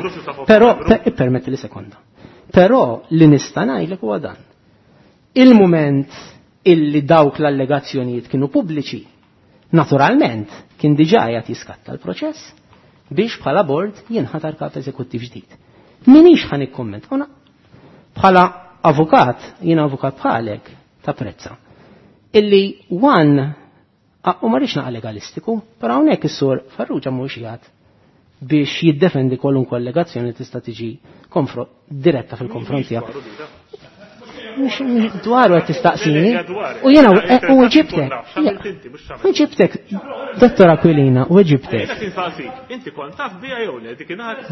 però ippermetti li sekonda. Però li nista' ngħidlek huwa dan. Il-mument illi dawk l-allegazzjonijiet kienu pubbliċi, naturalment kien diġà qiegħed jiskatta l-proċess biex bħala board jinħatar kap eżekuttiv ġdid. Minix ħa nikkumment, bħala avukat, jiena avukat bħalek ta' prezza, illi one u ma rridx naqa' legalistiku, però hawnhekk is-Sur Farrugia mhux qiegħed biex jiddefendi kwalunkwe allegazzjoni li tista' tiġi diretta fil-konfront tiegħek. Mhux dwaru qed tistaqsini. U jiena u ġibtek. U ġibtek, Dottor Aquilina, u ġibtek.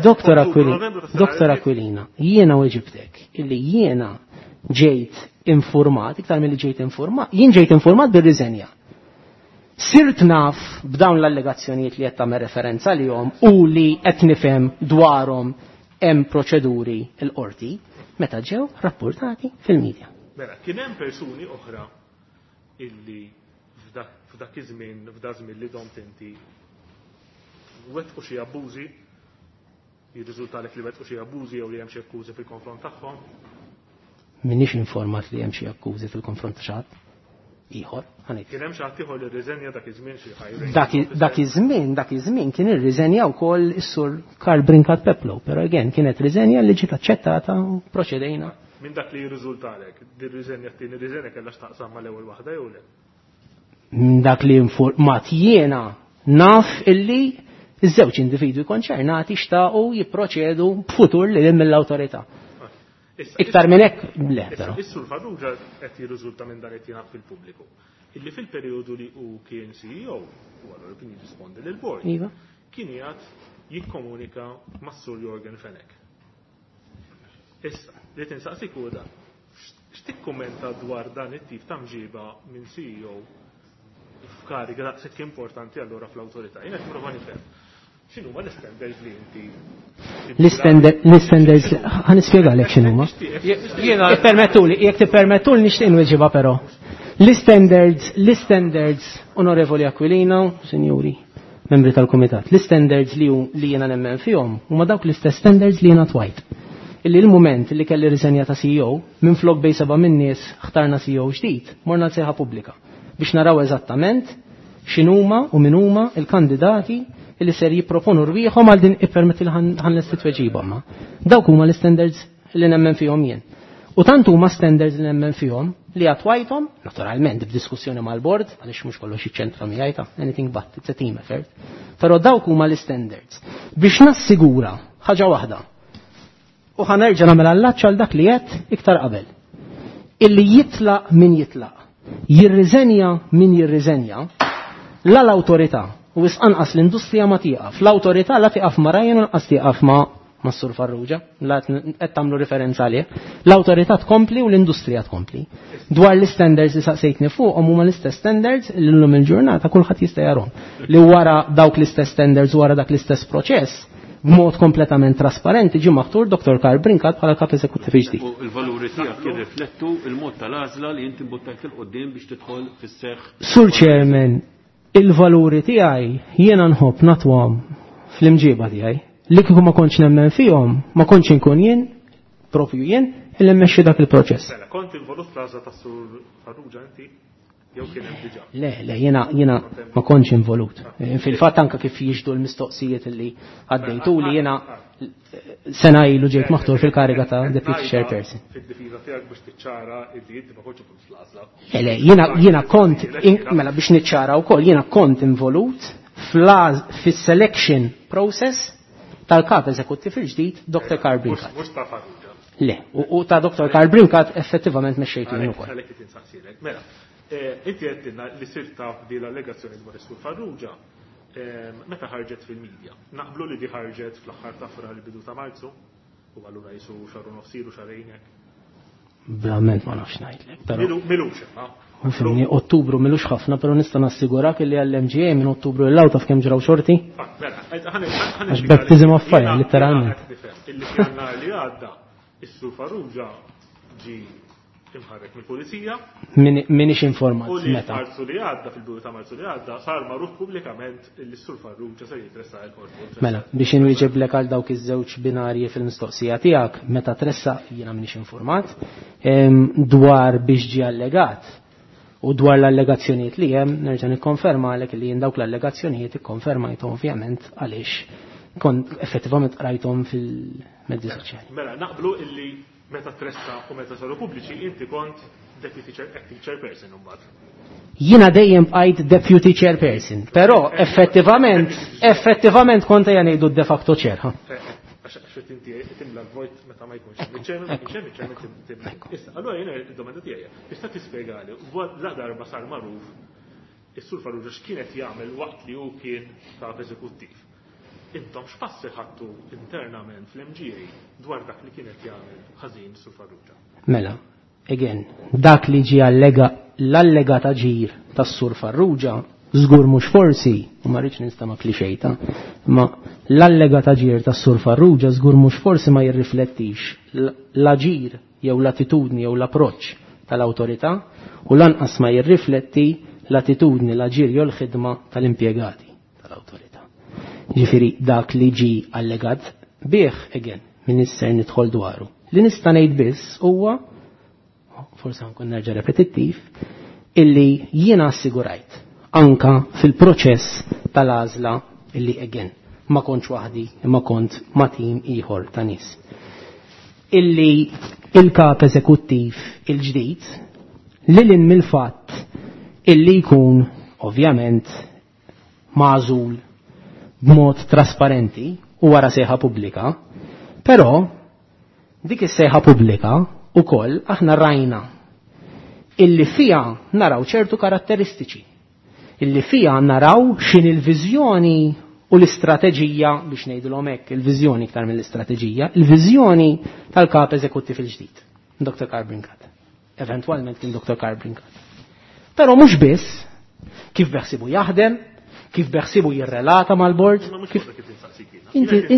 Dottor Aquilina, Dottor Aquilina, jiena u ġibtek illi jiena ġejt informat, iktar milli ġejt informat, jien ġejt informat bir-riżenja. Sirt naf b'dawn l-allegazzjonijiet li qed tagħmel referenza lihom u li qed nifhem dwarhom hemm proċeduri l-qorti meta ġew rapportati fil-medja. Mela, kien hemm persuni oħra illi f'dak iż-żmien, f'dak żmien li domt inti wettqu xi abbużi, jirriżultalek li wettqu xi abbużi jew li hemm xi akkużi fil-konfront tagħhom? M'iniex informat li hemm xi akkużi fil-konfront ta' xi ħadd ieħor. Kien hemm xi ħadd ieħor li rriżenja dak iż-żmien xi ħajr. Dak iż-żmien, dak iż-żmien kien irriżenja wkoll is-Sur Karl Brincat Peplow, però again kienet riżenja li ġiet aċċettata u proċedejna. Minn dak li jirriżultalek, din riżenja t-tieni riżenja kellha x'taqsam mal-ewwel waħda jew le? Minn dak li informat jiena naf illi iż-żewġ individwi konċernati xtaqu jipproċedu b'futur li mill-awtorità. Iktar minn hekk le, però. Is-Sur Farrugia qed jirriżulta minn dan qed jingħad fil-pubbliku. Illi fil-perjodu li hu kien C E O, u allura kien jirrispondi lil board. Iva. Kien qiegħed jikkomunika mas-Sur Yorgen Fenech. Issa, li tinsaqsik hu dan. X'tikkummenta dwar dan it-tip ta' mġiba minn C E O f'kariga daqshekk importanti allura fl-awtorità? Jiena qed nipprova nifhem. X'inhuma l-standards li inti L-standards, ħa nispjegalek x'inhuma. Jiena Ippermettuli, jekk tippermettuli nixtieq inweġibha però. L-standards, l-standards, Onorevoli Aquilina, Sinjuri, membri tal-Kumitat, l-standards li li jiena nemmen fihom huma dawk l-istess standards li jiena twajt. Illi l-mument li kelli riżenja ta' C E O, minn flok bej seba' minn nies ħtarna C E O ġdid, morna l-sejħa pubblika biex naraw eżattament x'inhuma u min huma il-kandidati li ser jipproponu rwieħhom għal din ippermetti li ħan lesti tweġiba ma. Dawk huma l-standards li nemmen fihom jien. U tant huma standards li nemmen fihom li attwajthom, naturalment b'diskussjoni mal-bord, għaliex mhux kollox iċ-ċentra miegħi ta' anything but, it's a team effort. Però dawk huma l-standards. Biex nassigura ħaġa waħda. U ħanerġa' nagħmel allaċċ għal dak li qed iktar qabel. Illi jitlaq min jitlaq, jirriżenja min jirriżenja, la l-awtorità u wisq anqas l-industrija ma tieqaf. L-awtorità la tieqaf ma' Ryan u lanqas tieqaf ma' ma' Sur Farrugia, la qed tagħmlu referenza għalih. L-awtorità tkompli u l-industrija tkompli. Dwar l-standards li saqsejtni fuqhom huma l-istess standards li llum il-ġurnata kulħadd jista' jarhom. Li wara dawk l-istess standards, wara dak l-istess proċess, b'mod kompletament trasparenti ġie maħtur Doktor Karl Brincat bħala kap eżekuttiv ġdid. U l-valuri tiegħek jirriflettu il-mod tal-għażla li inti mbuttajt il quddiem biex tidħol fis-seħħ. Sur Chairman, il-valuri tiegħi jiena nħobb natwhom fl-imġiba tiegħi. Li kieku ma kontx nemmen fihom, ma kontx inkun jien, propju jien, illi mmexxi dak il-proċess. Mela, kont involut fl-għażla tas-Sur Farrugia inti? Jew kien hemm diġà? Le, le, jiena, jiena ma kontx involut. Fil-fatt anke kif jiġdu l-mistoqsijiet li għaddejtu li jiena sena ilu ġejt maħtur fil-kariga ta' Deputy Chairperson. Fid-difiża tiegħek biex tiċċara illi inti ma kontx involut fl-għażla. Le, le, jiena, jiena kont in-, mela biex niċċara wkoll, jiena kont involut fl-għaż-, fis-selection process tal-kap eżekuttiv il-ġdid, Doktor Karl Brincat. Mhux ta' Farrugia. Le, u, u ta' Doktor Karl Brincat effettivament mexxejtu jien ukoll. Għalhekk qed insaqsilek. Mela, eh, inti għedtilna li sirt taf di l-allegazzjoni dwar is-Sur Farrugia, ehm, meta ħarġet fil-medja. Naqblu li di ħarġet fl-aħħar ta' Frar il-bidu ta' Marzu, u allura jisu xahar u nofs ilu, xahrejn hekk. Verament ma nafx ngħidlek, però Milu-, milux imma. Fimni, Ottubru milux ħafna, però nista' nassigurak li għall-M G A minn Ottubru l-law taf kemm ġraw xorti. Ah, mela, ħan-, ħan-, ħan Għax baptism of fire, Jiena- literalment. jiena qed nifhem illi f'Jannar li għadda, is-Sur Farrugia ġi imħarrek mill-pulizija. Min-, minix informat U li meta. Marzu li għadda, fil-bidu ta' Marzu li għadda, sar magħruf pubblikament li s-Sur Farrugia se jitressaq il-qorti. Mela, biex inwieġeblek għal dawk iż-żewġ binarji fil-mistoqsija tiegħek, meta tressaq jiena minix informat, em, dwar biex ġie allegat u dwar l-allegazzjonijiet li hemm, nerġa' nikkonferma għalhekk li jien dawk l-allegazzjonijiet ikkonfermajthom ovvjament għaliex kont effettivament qrajthom fil-mezzi soċjali. Mela, naqblu illi meta tressa u meta saru pubbliċi inti kont deputy chair, acting chairperson imbagħad. Jiena dejjem bqajt deputy chairperson, però effettivament, effettivament kont ejja ngħidu de facto chair, ha? Eh, eh, għax, għax qed inti timla l-vojt meta ma jkunx hemm iċ-chairman, ma jkunx hemm iċ-chairman, Ekku, tim-, timla. ekku. Issa, allura jiena id-domanda tiegħi, tista' tispjegali la darba sar magħruf is-Sur Farrugia x'kienet jagħmel waqt li hu kien kap eżekuttiv. Intom x'passi ħadtu internament fl-M G A dwar dak li kienet jagħmel ħażin Sur Farrugia? Mela, again, dak li ġie allega l-allegat aġir tas-Sur Farrugia żgur mhux forsi, u ma rridx ninstama' klixejta, ma l-allegat aġir tas-Sur Farrugia żgur mhux forsi ma jirriflettix l-aġir jew l-attitudni jew l-approċċ tal-awtorità u lanqas ma jirrifletti l-attitudni, l-aġir jew l-ħidma tal-impjegati tal-awtorità. Ġifieri dak li ġi allegat bih, again, min nisser nidħol dwaru. Li nista' ngħid biss huwa, forse nkun nerġa' repetittiv, illi jiena assigurajt anka fil-proċess tal-għażla illi again ma kontx waħdi imma kont ma' tim ieħor ta' nies. Illi il-kap eżekuttiv il-ġdid lil mill-fatt illi jkun ovvjament magħżul b'mod trasparenti u wara sejħa pubblika, però dik is-sejħa pubblika ukoll aħna rajna illi fija naraw ċertu karatteristiċi, illi fija naraw x'in il-viżjoni u l-istrateġija, biex ngħidulhom hekk, il-viżjoni iktar mill-istrateġija, il-viżjoni tal-kap eżekuttiv il-ġdid, Doktor Karl Brincat. Eventwalment kien Doktor Karl Brincat. Però mhux biss kif beħsibu jaħdem, kif beħsibu jirrelata mal-bord. Kif inti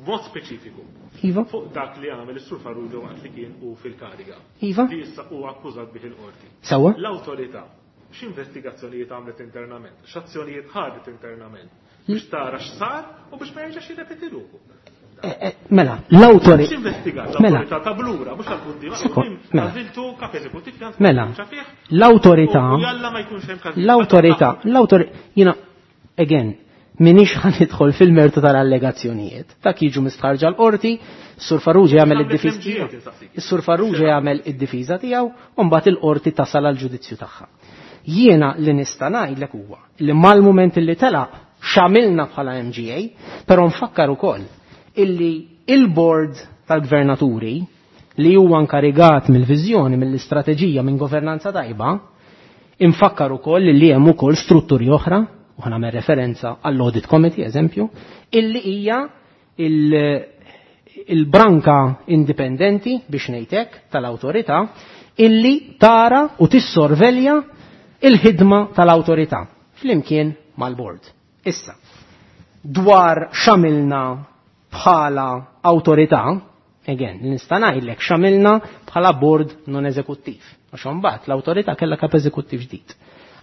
mod speċifiku. Iva. Fuq dak li għamel is-Sur Farrugia waqt li kien u fil-kariga. Iva. Li issa huwa akkużat bih il-qorti. Sawa. L-awtorità x'investigazzjonijiet għamlet internament, x'azzjonijiet ħadet internament biex tara x'sar u biex ma jerġax jirrepeti ruħu. Mela, l-awtorità. X'investigat l-awtorità ta' blura, mhux tal-quddiem, għażiltu kap eżekuttiv Mela, l-awtorità. Jalla ma jkunx hemm każi. L-awtorità, l-awtorità, jiena again, minix ħan nidħol fil-mertu tal-allegazzjonijiet. Dak jiġu mistħarġa l-qorti, Sur Farrugia jagħmel id-difiża tiegħu. Is-Sur Farrugia jagħmel id-difiża tiegħu u mbagħad il-qorti tasal għal ġudizzju tagħha. Jiena li nista' ngħidlek huwa li mal-mument li telaq x'għamilna bħala M G A, però nfakkar ukoll illi il-board tal-gvernaturi li huwa nkarigat mill-viżjoni, mill-istrateġija, minn governanza tajba, infakkar ukoll li hemm ukoll strutturi oħra, u ħanagħmel referenza għall-Audit Committee, eżempju, illi hija il-branka indipendenti, biex ngħidlek, tal-awtorità, illi tara u tissorvelja il-ħidma tal-awtorità flimkien mal-board. Issa, dwar x'għamilna bħala awtorità, again, nista' ngħidlek x'għamilna bħala board non eżekuttiv, għax imbagħad l-awtorità kellha kap eżekuttiv ġdid.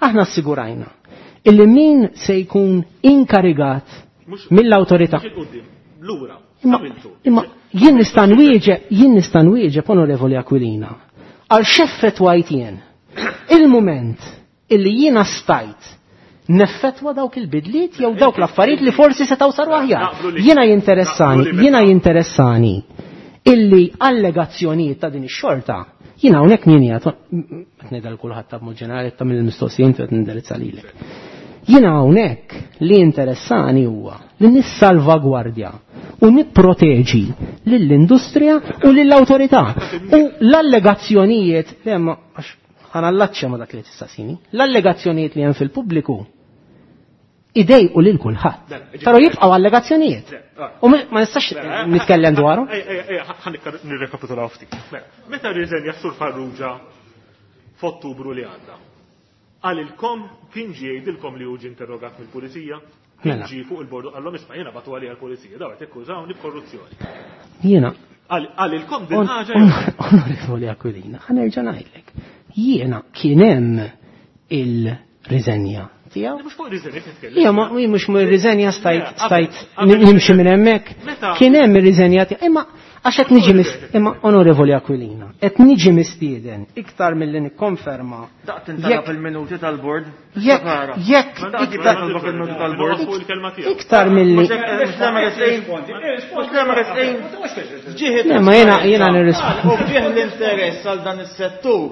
Aħna assigurajna illi min se jkun inkarigat mill-awtorità. Imma, imma jien nista' nwieġeb, jien nista' nwieġeb, Onorevoli Aquilina, għal x'effettwajt jien. Il-mument illi jiena stajt neffettwa dawk il-bidliet jew dawk l-affarijiet li forsi setgħu saru aħjar. Jiena jinteressani, jiena jinteressani illi allegazzjonijiet ta' din ix-xorta, jiena hawnhekk min qiegħed, qed ngħidha lil kulħadd ta' b'mod ġenerali, ta' mill-mistoqsijiet qed nindirizza lilek. Jiena hawnhekk li interessani huwa li nissalvagwardja u nipproteġi lill-industrija u lill-awtorità. U l-allegazzjonijiet li hemm, għax ħanallaċċja ma dak li tistaqsini, l-allegazzjonijiet li hemm fil-pubbliku idejqu lil kulħadd. Però jibqgħu allegazzjonijiet. U ma nistax nitkellem dwarhom. Ħa nirrekapitulaw ftit. Meta rriżenja Sur Farrugia f'Ottubru li għadda, għalilkom kien ġie jgħidilkom li hu ġie interrogat mill-pulizija? Kien ġie fuq il-bordu qallhom isma' jiena bagħtu għalija l-pulizija, daw qed jakkużawni b'korruzzjoni. Jiena. Għalilkom din ħaġa. Onorevoli Aquilina, ħa nerġa' ngħidlek. Jiena kien hemm il-riżenja tiegħu. Mhux fuq riżenja titkellem. Ija, ma mhux fuq ir-riżenja stajt stajt nimxi minn hemmhekk. Kien hemm ir-riżenja tiegħu. Imma għax qed niġi imma Onorevoli Aquilina, qed niġi mistieden iktar milli nikkonferma. Daqt intalab il-minuti tal-bord. Jekk jekk iktar iktar milli. Le, ma jiena jiena nirrispondi. U ġieħ l-interess għal dan is-settur.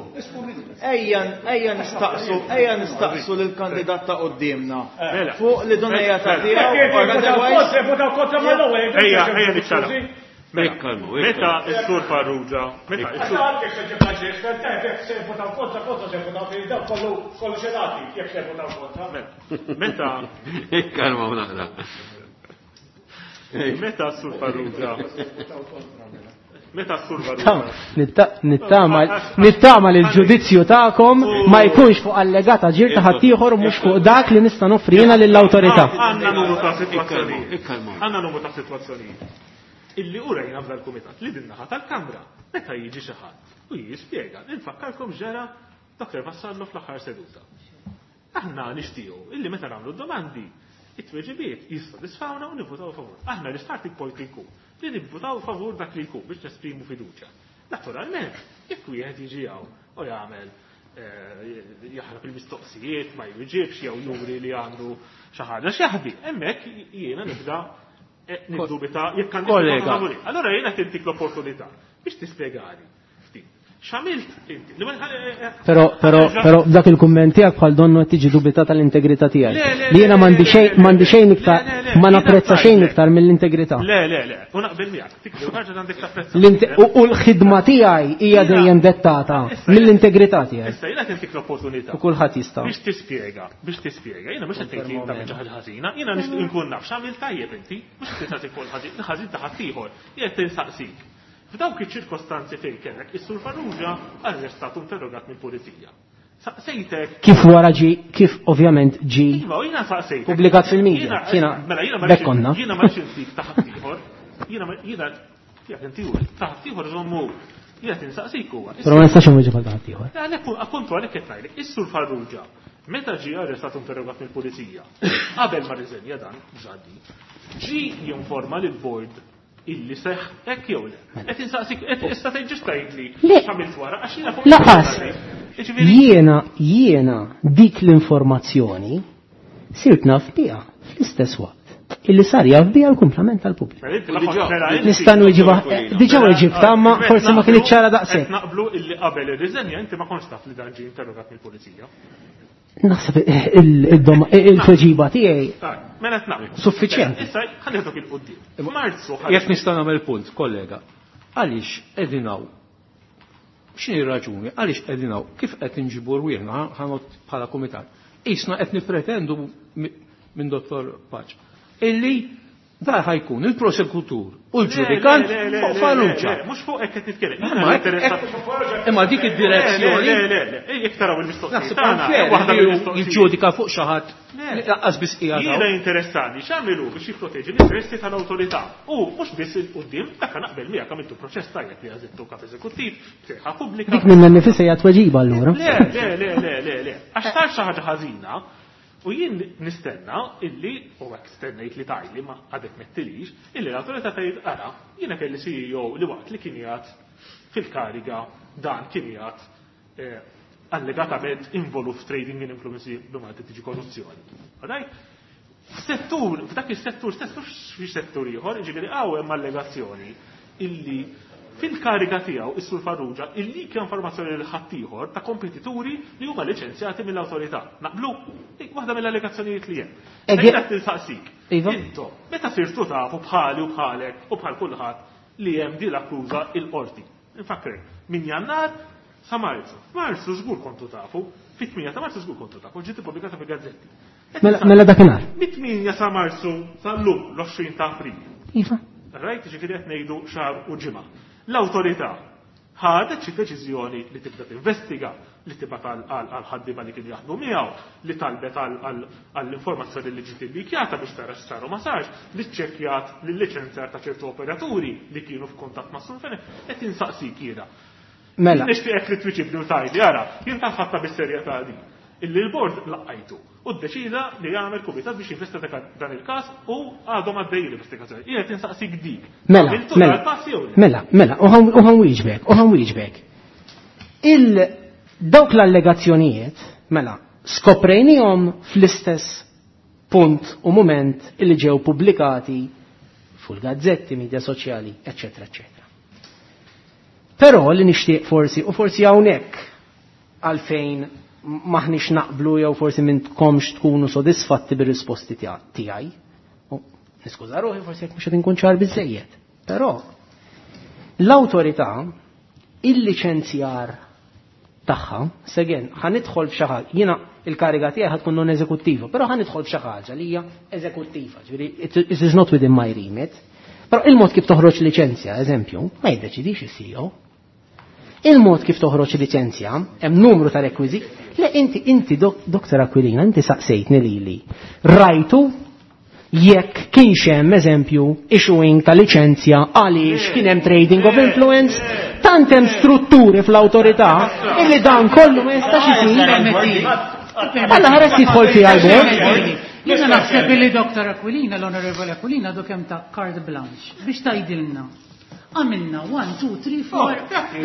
Ejja ejja nistaqsu, ejja nistaqsu lill-kandidat ta' quddiemna. Fuq li donejja ta' tiegħu. Ejja, ejja niċċara. Meta s-Sur Farrugia, meta s-Sur Meta Ikkalma naqra. Meta s-Sur Farrugia Meta s-Sur Farrugia Nittama nittama li l-ġudizzju tagħkom ma jkunx fuq allegata ġir ta' ħaddieħor u mhux fuq dak li nista' noffri jiena lill-awtorità. Għandna numru ta' sitwazzjonijiet. Għandna numru ta' sitwazzjonijiet. Illi urejna f'dal-kumitat li din naħa tal-Kamra meta jiġi xi ħadd u U jispjega, infakkarkom ġara Doktor Vassallo fl-aħħar seduta. Aħna nixtiequ illi meta nagħmlu domandi, it-tweġibiet jissodisfawna u nivvutaw favur. Aħna l-starting point li jkun li nivvutaw favur dak li jkun biex nesprimu fiduċja. Naturalment, jekk wieħed jiġi hawn u jagħmel jaħrab il-mistoqsijiet, ma jwieġibx jew juri li għandu xi ħaġa x'jaħbi. Hemmhekk jiena nibda niddubita jekk għandi. Allora jiena tintik l-opportunità biex tispjegali ftit. X'għamilt inti? Però però però dak il-kumment tiegħek bħal donnu qed tiġi dubitata l-integrità tiegħi. Li jiena m'għandi xejn m'għandi xejn iktar ma napprezza xejn iktar mill-integrità. Le le le, u naqbel miegħek, tikber ħaġa għandek tapprezza. U l-ħidma tiegħi hija dejjem dettata mill-integrità tiegħi. Issa jiena tintik l-opportunità. U kulħadd jista'. Biex tispjega, biex tispjega, jiena mhux qed tgħid li inti xi ħaġa ħażina, jiena nixtieq inkun naf x'għamilt tajjeb inti, mhux qed tistaqsi fuq il-ħażin, il-ħażin ta' ħaddieħor, jien qed tinsaqsik. F'dawk iċ-ċirkostanzi fejn kellek is-Sur Farrugia arrestat u interrogat mill-pulizija. Saqsejtek. Kif wara ġi, kif ovvjament ġi Iva, jiena saqsejtek. Pubblikat fil-media. Jiena bekkonna. Jiena ma rridx ta' ħaddieħor. Jiena jiena tiegħek inti ta' ħaddieħor żommu. Jiena tinsaqsik huwa. Però ma nistax inwieġeb għal ta' ħaddieħor. Għalhekk appuntu għalhekk qed ngħidlek, is-Sur Farrugia meta ġie arrestat u interrogat mill-pulizija, qabel ma rriżenja dan, ġaddi, ġi jinforma lill-board illi seħ hekk jew le. Qed insaqsik qed issa tgħid ġust tgħidli x'għamilt wara għax jiena fuq. Laqas. Jiena jiena dik l-informazzjoni sirt naf biha fl-istess waqt illi sar jaf biha l-kumplament tal-pubbliku. Nista' nwieġibha diġà weġibta ma forsi ma kienx ċara daqshekk. Qed naqblu illi qabel irriżenja inti ma kontx taf li dan ġie interrogat mill-pulizija. Naħseb il-tweġiba tiegħi. Mela qed naqblu. Suffiċjenti. Issa ħalli il-qudiem. F'Marzu jekk nista' nagħmel punt, kollega. Għaliex qegħdin hawn? X'inhi r-raġuni? Għaliex qegħdin hawn? Kif qed inġibu rwieħna ħanot bħala kumitat? Isna qed nippretendu minn Dottor Paċ illi da ħajkun il-prosekutur u l-ġudikant fuq Farrugia. Mhux fuq hekk qed nitkellem. Imma dik id-direzzjoni. Le, le, le, jekk taraw il-mistoqsijiet tagħna, waħda jiġġudika fuq xi ħadd lanqas biss qiegħed. Jiena interessani x'għamilu biex jipproteġi l-interessi tal-awtorità. U mhux biss il-qudiem, dak naqbel miegħek għamiltu proċess tajjeb li għażiltu kap eżekuttiv, sejħa pubblika. Dik minnha nnifisha hija tweġiba allura. Le, le, le, le, le, le. Għax sar xi ħaġa ħażina. U jien nistenna illi, u hekk stennejt li tajli ma għadek mettilix, illi l-awtorità tgħid ara, jiena kelli C E O li waqt li kien jgħid fil-kariga dan kien jgħid allegatament involut f'trading in influenzi b'Malta tiġi korruzzjoni. Right? F'settur, f'dak is-settur stess mhux fi settur ieħor, jiġifieri hawn hemm allegazzjoni illi fil-kariga tiegħu is-Sur Farrugia illi kien informazzjoni lil ħaddieħor ta' kompetituri li huma liċenzjati mill-awtorità. Naqblu? Dik waħda mill-allegazzjonijiet li hemm. Ejja tinsaqsik. Intom, meta sirtu tafu bħali u bħalek u bħal kulħadd li hemm din l-akkuża il-qorti. Infakrek, minn Jannar sa Marzu. Marzu żgur kontu tafu, fit-tminja ta' Marzu żgur kontu tafu, ġiet ippubblikata fil-gazzetti. Mela, mela dakinhar. Mit-tminja sa Marzu sal-lum l-għoxrin ta' April. Iva. Rajt ġifieri qed ngħidu xahar u ġimgħa. L-awtorità ħadet xi deċiżjoni li tibda tinvestiga, li tibgħat għal ħaddiema li kienu jaħdmu miegħu, li talbet għall-informazzjoni li ġiet illikjata biex tara x'sar u ma sarx, li ċċekkjat lil-liċenzjar ta' ċertu operaturi li kienu f'kuntatt ma' Sur Fenech, qed insaqsik jiena. Mela. Nixtieqek li twiġibni u tgħidli, ara, jien ħadtha bis-serjetà din. Illi l-bord laqajtu u ddeċida li jagħmel kumitat biex jinvestiga dan il-każ u għadhom għaddej l-investigazzjoni. Jien qed insaqsik dik. Mela, mela, mela, mela, u ħan wieġbek, u ħan wieġbek. Il dawk l-allegazzjonijiet, mela, skoprejnihom fl-istess punt u moment illi ġew pubblikati fuq il-gazzetti, media soċjali, eċċetera, eċċetera. Però li nixtieq forsi, u forsi hawnhekk għalfejn maħniex naqblu jew forsi mintkomx tkunu sodisfatti bir-risposti tiegħi. Niskuża ruħi forsi jekk mhux qed inkun ċar biżejjed. Però l-awtorità il-liċenzjar tagħha, segen, ħa nidħol f'xi ħaġa, jiena il-kariga tiegħi ħa tkun non eżekuttiva, però ħa nidħol f'xi ħaġa li hija eżekuttiva, ġifieri it is not within my remit. Però il-mod kif toħroġ liċenzja, eżempju, ma jiddeċidix is-C E O. Il-mod kif toħroġ liċenzja, hemm numru ta' rekwiżiti. Le inti, inti, Doktor Aquilina, inti saqsejtni lili. Rajtu jekk kienx hemm eżempju issuing ta' liċenzja għaliex kien hemm trading of influence, tant hemm strutturi fl-awtorità illi dan kollu ma jistax isir. Alla ħares jidħol fiha l-bord. Jiena naħseb li Doktor Aquilina, l-Onorevole Aquilina, għadu kemm ta' carte blanche biex tgħidilna. Għamilna one, two, three, four, dak.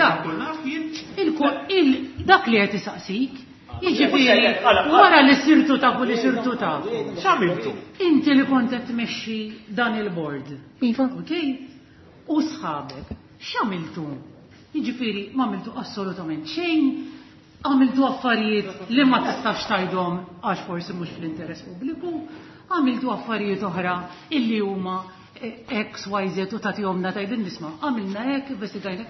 Dak li qed isaqsik, jiġifieri wara li sirtu tafu li sirtu tafu. X'għamiltu? Inti li kont qed tmexxi dan il-board. Iva. Okej? U sħabek, x'għamiltu? Jiġifieri m'għamiltu assolutament xejn, għamiltu affarijiet li ma tistax tgħidhom għax forsi mhux fl-interess pubbliku, għamiltu affarijiet oħra illi huma X, Y, Z u tagħtihomna tgħidil nisma' għamilna hekk, investigajna.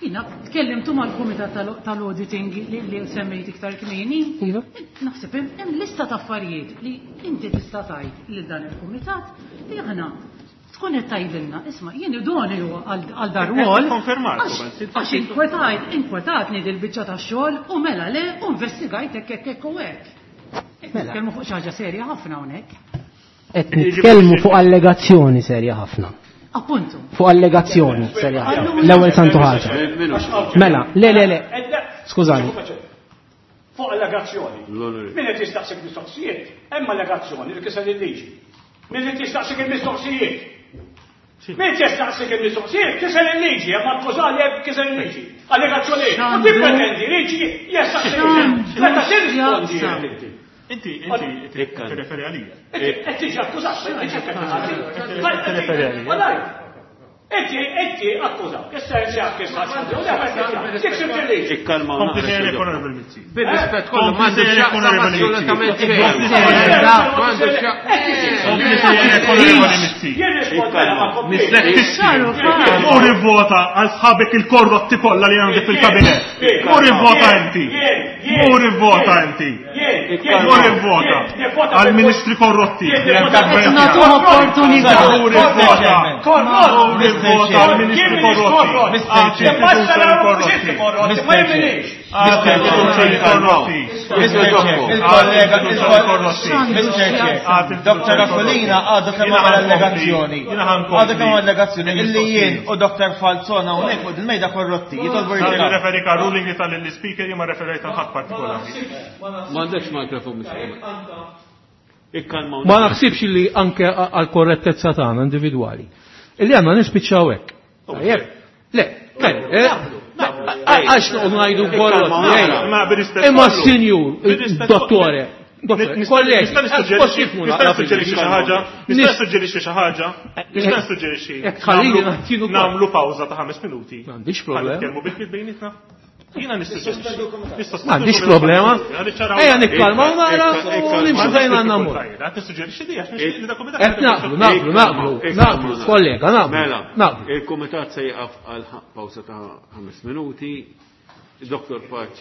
Jiena tkellimtu mal-kumitat tal-auditing li semmejt iktar kmieni. Iva. Naħseb hemm lista ta' affarijiet li inti tista' tgħid lil dan il-kumitat li aħna tkun qed tgħidilna, isma' jien idoni għal dar-rwol. Għax inkwetajt, inkwetatni dil-biċċa tax-xogħol u mela le u investigajt hekk hekk hekk u hekk. Nitkellmu fuq xi ħaġa serja ħafna hawnhekk. Qed nitkellmu fuq allegazzjoni serja ħafna. Appuntu. Fuq allegazzjoni serja ħafna. L-ewwel santu ħaġa. Mela, le le le. Skużani. Fuq allegazzjoni. Min qed jistaqsik mistoqsijiet? Hemm allegazzjoni li kiser il-liġi. Min qed jistaqsik il-mistoqsijiet? Min jistaqsik il-mistoqsijiet kiser il-liġi, hemm akkużali hemm kiser il-liġi. Allegazzjoni. U tippretendi liġi jistaqsik. Meta tirrispondi inti. Inti, inti, tirreferi għalija. Qed tiġi akkużat, Tirreferi għalija. Inti, inti akkużat. Issa inti akkużat. Ikkalma. Kompli sejrek Onorevole Mizzi. Bir-rispett kollu m'għandu x'jaqsam assolutament xejn. M'għandu x'jaqsam. Kompli sejrek Onorevole Mizzi. Mur ivvota għal sħabek il-korrotti kollha li għandek fil-kabinett. Mur ivvota inti. Mur ivvota inti. Mur ivvota għal ministri korrotti. Nagħtuhom opportunità. Mur ivvota. Mur ivvota għal ministri korrotti. Il-kollega, Mister Chair, Doktor Aquilina għadu kemm għamel allegazzjoni. Għadu kemm allegazzjoni illi jien u Doktor Falzon hawnhekk fuq il-mejda korrotti. Jitolbu jirtiraw. Referi ka ruling li tal-speaker jien ma referejt għal ħadd partikolari. M'għandekx mikrofon. Ma naħsibx li anke għal korrettezza tagħna individwali. Illi għandna nispiċċaw hekk. Le, għax noqogħdu ngħidu korrotti. Imma s-sinjur, dottore, kollegi, nista' nissuġġerixxi xi ħaġa, nista' nissuġġerixxi xi ħaġa, nista' nissuġġerixxi. Nagħmlu pawża ta' ħames minuti. M'għandix problema. Nitkellmu bil-kif bejnietna. Jiena nissuġġerixxi. M'għandix problema. Ejja nikkalmaw nara u nimxu fejn għandna mmur. Qed nissuġġerixxi di għax nixtieq li dak Qed naqblu, naqblu, naqblu, naqblu, kollega, naqblu. Mela, il-kumitat se jaqaf għal pawża ta' ħames minuti. Doktor Paċ.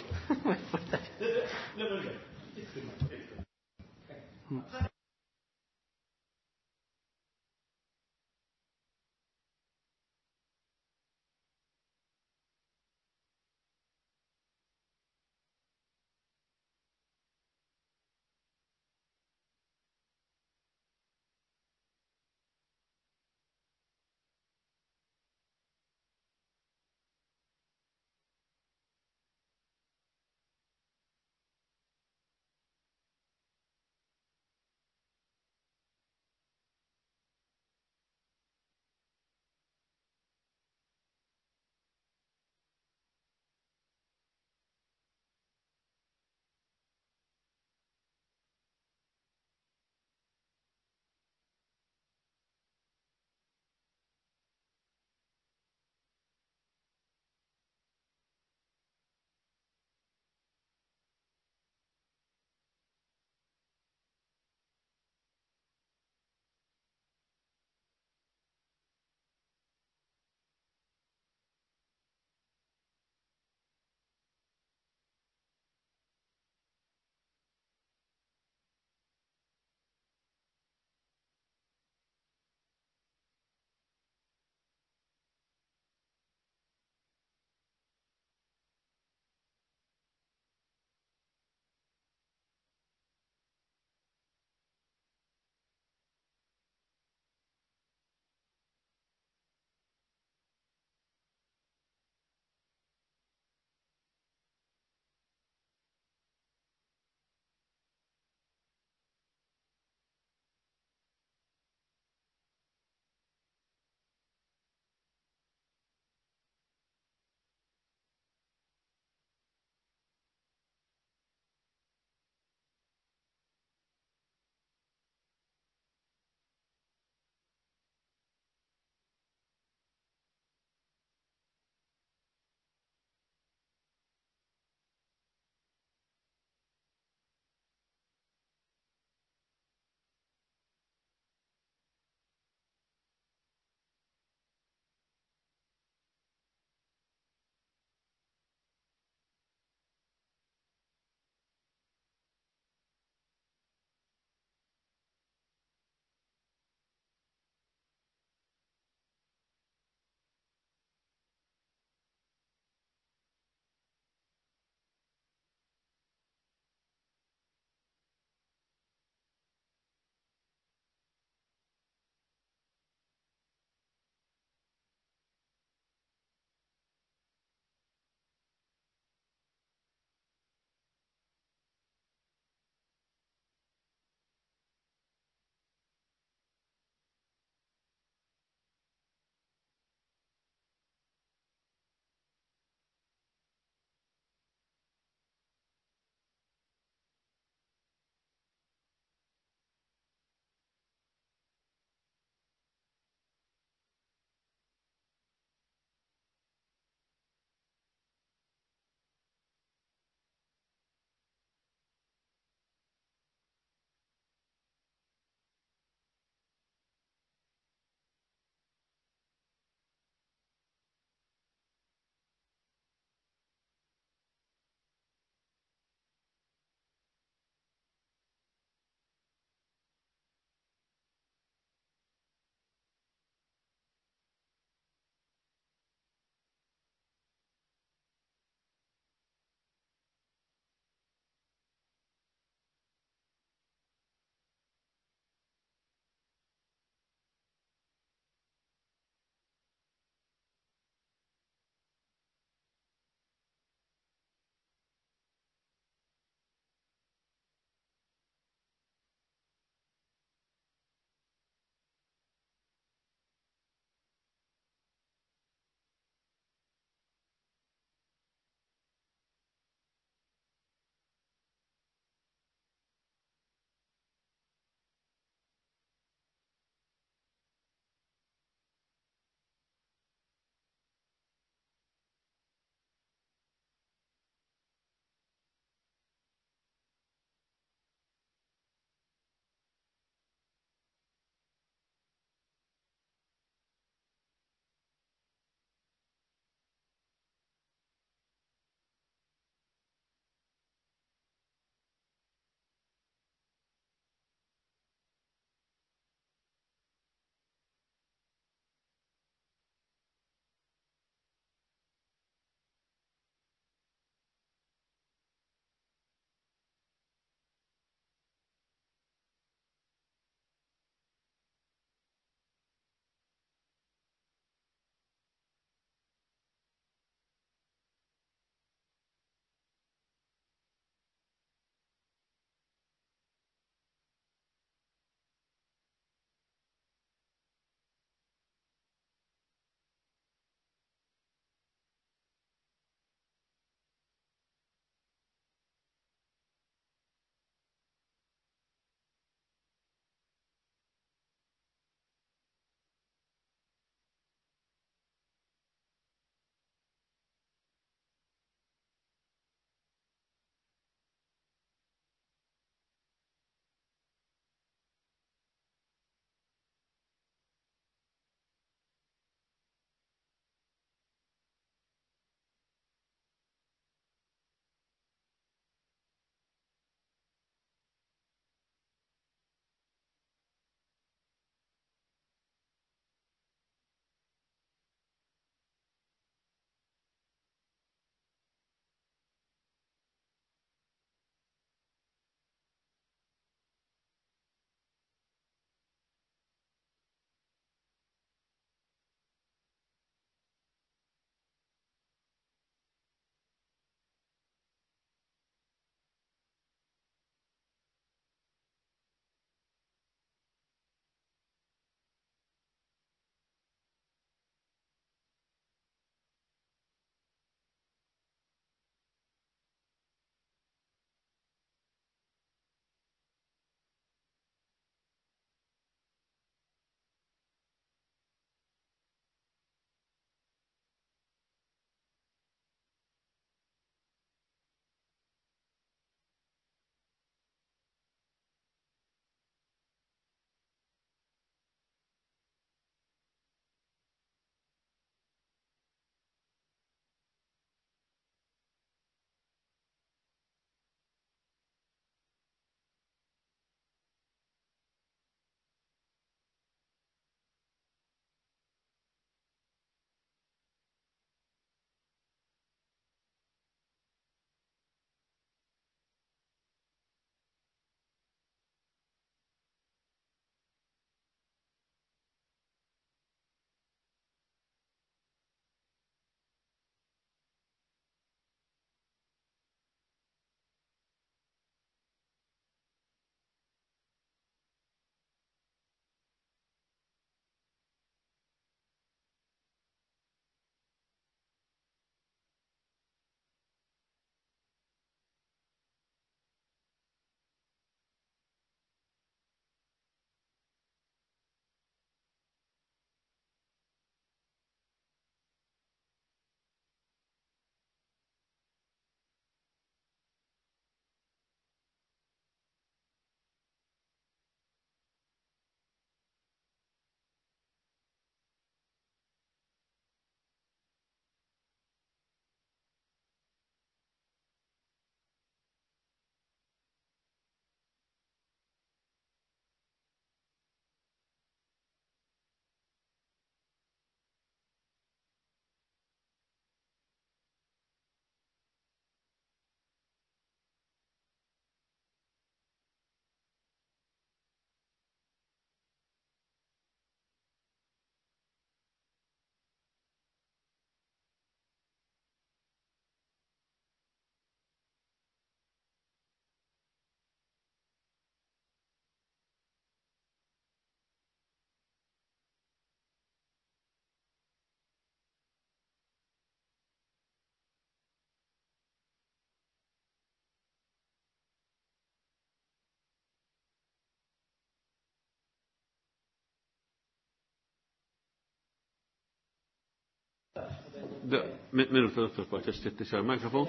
Minuta, Dottor Pace, x'tittisar mikrofon.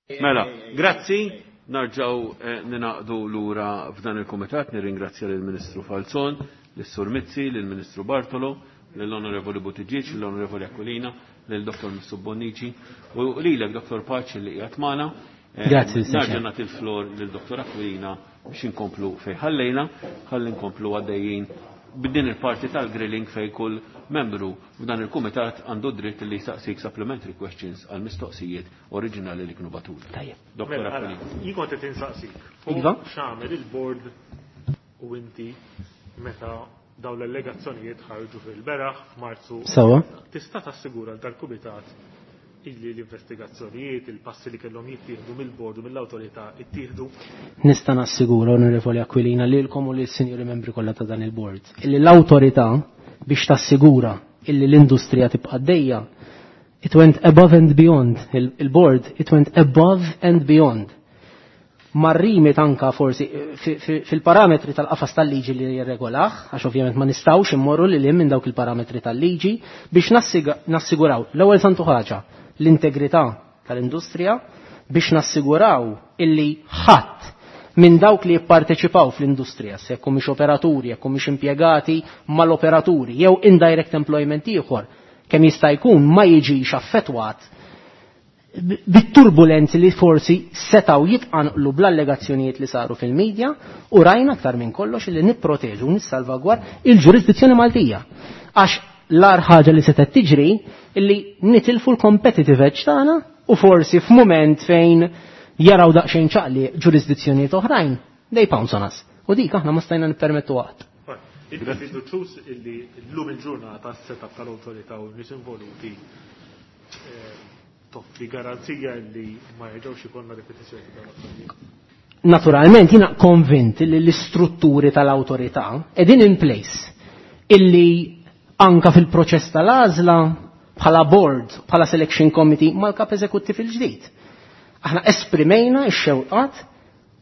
Mela, grazzi, narġaw eh, ninaqdu lura f'dan il-komitat, nirringrazzja lill-Ministru Falzon, lis-Sur Mizzi, lill-Ministru Bartolo, lill-Onorevoli Buttigieg, lill-Onorevoli Aquilina, lill-Dottor Missu Bonnici u lilek Dottor Pace li qiegħed magħna. Eh, Grazzi, Mister Narġa' Chair. nagħti l-flor lil Dottor Aquilina biex inkomplu fejn ħallejna, ħalli nkomplu għaddejjin b'din il-parti tal-grilling fej kull membru f'dan il-kumitat għandu dritt li jsaqsik supplementary questions għal mistoqsijiet oriġinali li kienu batuli. Tajjeb. Dottor Mela, ara, Aquilina. jien kont qed insaqsik. Fuq Iva. X'għamel il-board u inti meta dawn l-allegazzjonijiet ħarġu fil-beraħ f'Marzu. Sawa. Tista' tassigura l dal-kumitat illi l-investigazzjonijiet, il-passi li kellhom jittieħdu mill-bord u mill-awtorità ittieħdu? Nista' nassigura, Onorevoli Aquilina, lilkom u lill-sinjuri membri kollha ta' dan il-board, illi l-awtorità biex tassigura illi l-industrija tibqa' għaddejja, it went above and beyond, il- il-board, it went above and beyond. Marrimi tanka forsi fi-, fi-, fil-parametri tal-qafas tal-liġi li jirregolah, għax ovvjament ma nistawx immorru li lim minn dawk il-parametri tal-liġi biex nassiga-, nassiguraw l-ewwel santu ħaġa l-integrità tal-industrija, biex nassiguraw illi ħadd minn dawk li jipparteċipaw fl-industrija, se jekk mhix operaturi, jekk mhix impjegati mal-operaturi, jew indirect employment ieħor, kemm jista' jkun ma jiġix affettwat bit-turbulenzi li forsi setaw jitqanqlu bl-allegazzjonijiet li saru fil-medja, u rajna aktar minn kollox li nipproteġu u nissalvagwar il-ġurisdizzjoni Maltija. Għax l-agħar ħaġa li setgħet tiġri illi nitilfu l-competitive edge tagħna u forsi f'mument fejn jaraw daqsxejn ċaqli ġurisdizzjonijiet oħrajn, they pounce on us. U dik aħna ma stajna nippermettu qatt. Inti fiduċjuż illi llum il-ġurnata s-setup tal-awtorità u n-nies involuti, eh, toffri garanzija li ma jerġgħux ikollna ripetizzjoni ta' dawn l-affarijiet? Naturalment jiena konvint li l-istrutturi tal-awtorità qegħdin in place illi anka fil-proċess tal-għażla bħala board, bħala selection committee mal-kap eżekuttiv il-ġdid. Aħna esprimejna x-xewqat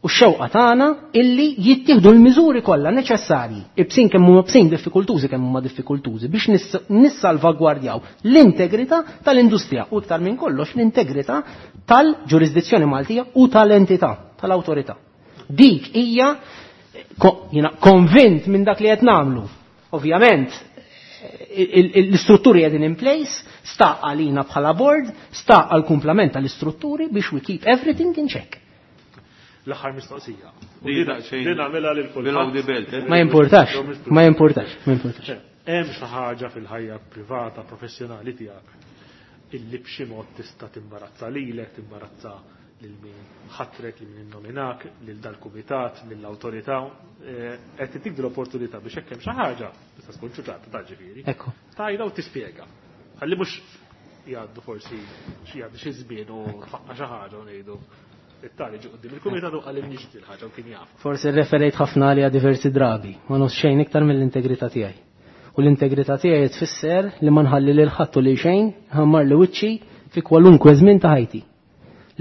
u x-xewqa tagħna illi jittieħdu l-miżuri kollha neċessarji, ibsin kemm huma bsin diffikultużi kemm huma diffikultużi biex nis-, nissalvagwardjaw l-integrità tal-industrija u iktar minn kollox l-integrità tal-ġurisdizzjoni Maltija u tal-entità, tal-awtorità. Dik hija ko-, jiena konvint minn dak li qed nagħmlu. Ovvjament, il-, il-, l-istrutturi qegħdin in place, sta għalina bħala board, sta għal kumplament tal-istrutturi biex we keep everything in check. L-aħħar mistoqsija. Di Din daqsxejn din nagħmilha lil kulħadd. Below the belt, eh? Ma importax, ma importax, ma importax. Hemm xi ħaġa fil-ħajja privata, professjonali tiegħek illi b'xi mod tista' timbarazza lilek, timbarazza lil min ħatrek, lil min innominak, lil dal-kumitat, lill-awtorità, eh, qed titik l-opportunità biex hekk hemm xi ħaġa, tista' tkun ċuċata ta' ġifieri. Ekku. Tajda u tispjega. Ħalli mhux jgħaddu forsi xi jgħaddu xi żmien u tfaqqa xi ħaġa u ngħidu it-tali ġie quddiem il-kumitat u qal nixti l-ħaġa u kien jaf. Forsi rreferejt ħafna għalija diversi drabi, ma nofs xejn iktar mill-integrità tiegħi. U l-integrità tiegħi tfisser li ma nħalli lil ħadd u li xejn ħammar li wiċċi fi kwalunkwe żmien ta' ħajti.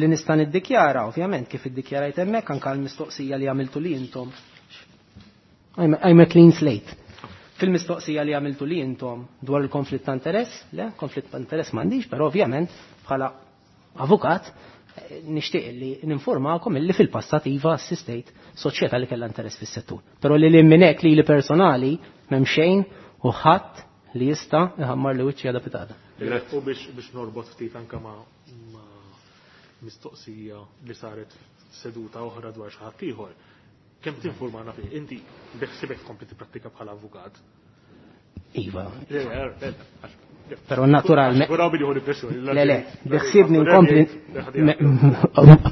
Li nista' niddikjara, ovvjament, kif iddikjarajt hemmhekk anke l-mistoqsija li għamiltu li intom. I'm a, I'm a clean slate. Fil-mistoqsija li għamiltu li intom dwar il-konflitt ta' interess, le, konflitt ta' interess m'għandix, però ovvjament bħala avukat eh, nixtieq li ninformakom illi fil-passat iva assistejt soċjetà li kellha interess fis-settur. Però li lil minn hekk li li personali m'hemm xejn u ħadd li jista' iħammar li wiċċi għada pitada. U biex, biex norbot ftit anke ma', ma' mistoqsija li saret seduta oħra dwar xi ħadd ieħor. Kemm tinformana fih? Inti beħsibek tkompli tipprattika bħala avukat? Iva. Le, le, le, għax- le. Però naturalment Għax billi hu pressjoni. Le, le, biħsibni nkompli me-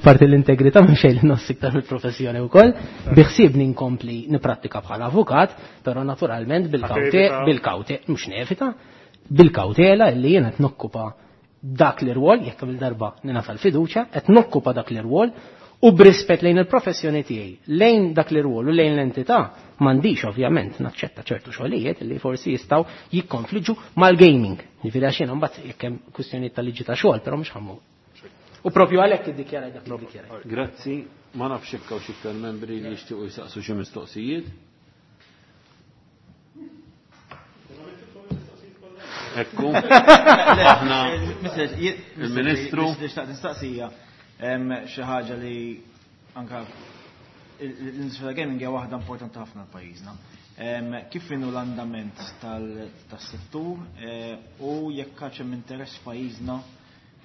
apparti l-integrità ma xejn li nħoss iktar mill-professjoni wkoll, biħsibni nkompli niprattika bħala avukat, però naturalment bil-kawte, Ħatevita. bil-kawte, mhux nevita, bil-kawtela illi jien qed nokkupa dak l-irwol, jekk il darba ningħata l-fiduċja, qed nokkupa dak l-irwol u b'rispett lejn il-professjoni tiegħi, lejn dak l-irwol u lejn l-entità, m'għandix ovvjament naċċetta ċertu xogħlijiet li forsi jistgħu jikkonfliġġu mal-gaming. Jiġifieri għax jiena mbagħad jekk hemm kwistjonijiet tal-liġi ta' xogħol, però mhux ħammu. U propju għalhekk iddikjaraj dak li ddikjaraj. Grazzi, ma nafx jekk hawn xi iktar membri li jixtiequ jsaqsu xi mistoqsijiet. Ekku, aħna Mister, jien- il-Ministru. Mister, xtaqt nistaqsija. Xi ħaġa li anka l-industrija tal-gaming hija waħda importanti ħafna pajjiżna. Kif inhu l-andament tas-settur u jekk hemm interess f'pajjiżna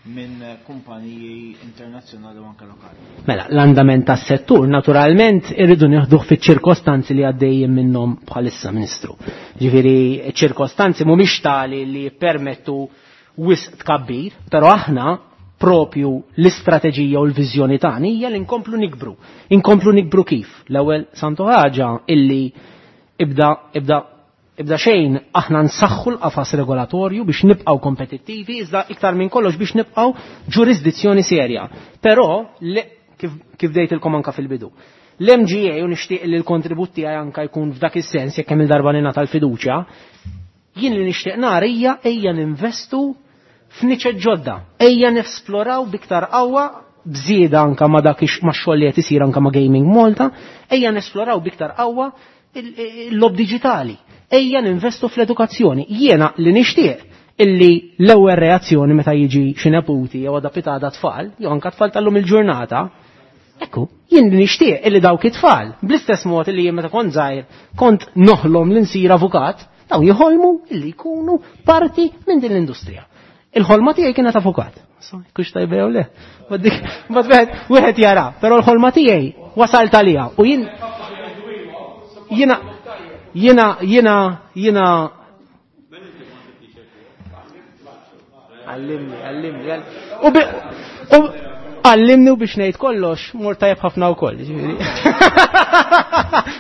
minn kumpaniji internazzjonali u anke lokali? Mela, l-andament tas-settur naturalment irridu nieħduh fiċ-ċirkostanzi li għaddejjin minnhom bħalissa, Ministru. Ġifieri ċirkostanzi mhumiex tali li jippermettu wisq tkabbir, però aħna propju l-istrateġija u l-viżjoni tagħna hija li nkomplu nikbru. Inkomplu nikbru kif? L-ewwel santu ħaġa illi ibda ibda ibda xejn aħna nsaħħu l-qafas regolatorju biex nibqgħu kompetittivi, iżda iktar minn kollox biex nibqgħu ġurisdizzjoni serja. Però kif, kif dejtilkom anka fil-bidu. L-M G A u nixtieq li l-kontribut tiegħi anka jkun f'dak is-sens jekk hemm il-darba ningħata l-fiduċja, jien li nixtieq nara hija ejja ninvestu f'niċeċ ġodda, ejja nesploraw biktar qawwa bżieda anka ma dak ma xogħol li qed isir anka ma' Gaming Malta, ejja nesploraw biktar qawwa il-lob diġitali. Ejja ninvestu fl-edukazzjoni. Jiena li nixtieq illi l-ewwel reazzjoni meta jiġi xi neputi jew għada pitada tfal, jew anka tfal tal-lum il-ġurnata, ekku, jien li nixtieq illi dawk it-tfal, bl-istess mod illi jien meta kont żgħir kont noħlom li nsir avukat, daw jħolmu illi jkunu parti minn din l-industrija. Il-ħolma tiegħi kienet avukat. Kux tajba jew le? Bad wieħed wieħed jara, però l-ħolma tiegħi wasalt għaliha u jien jiena jiena jiena jiena għallimni, għallimni, u bi, u għallimni u biex ngħid kollox mor tajjeb ħafna wkoll, ġifieri.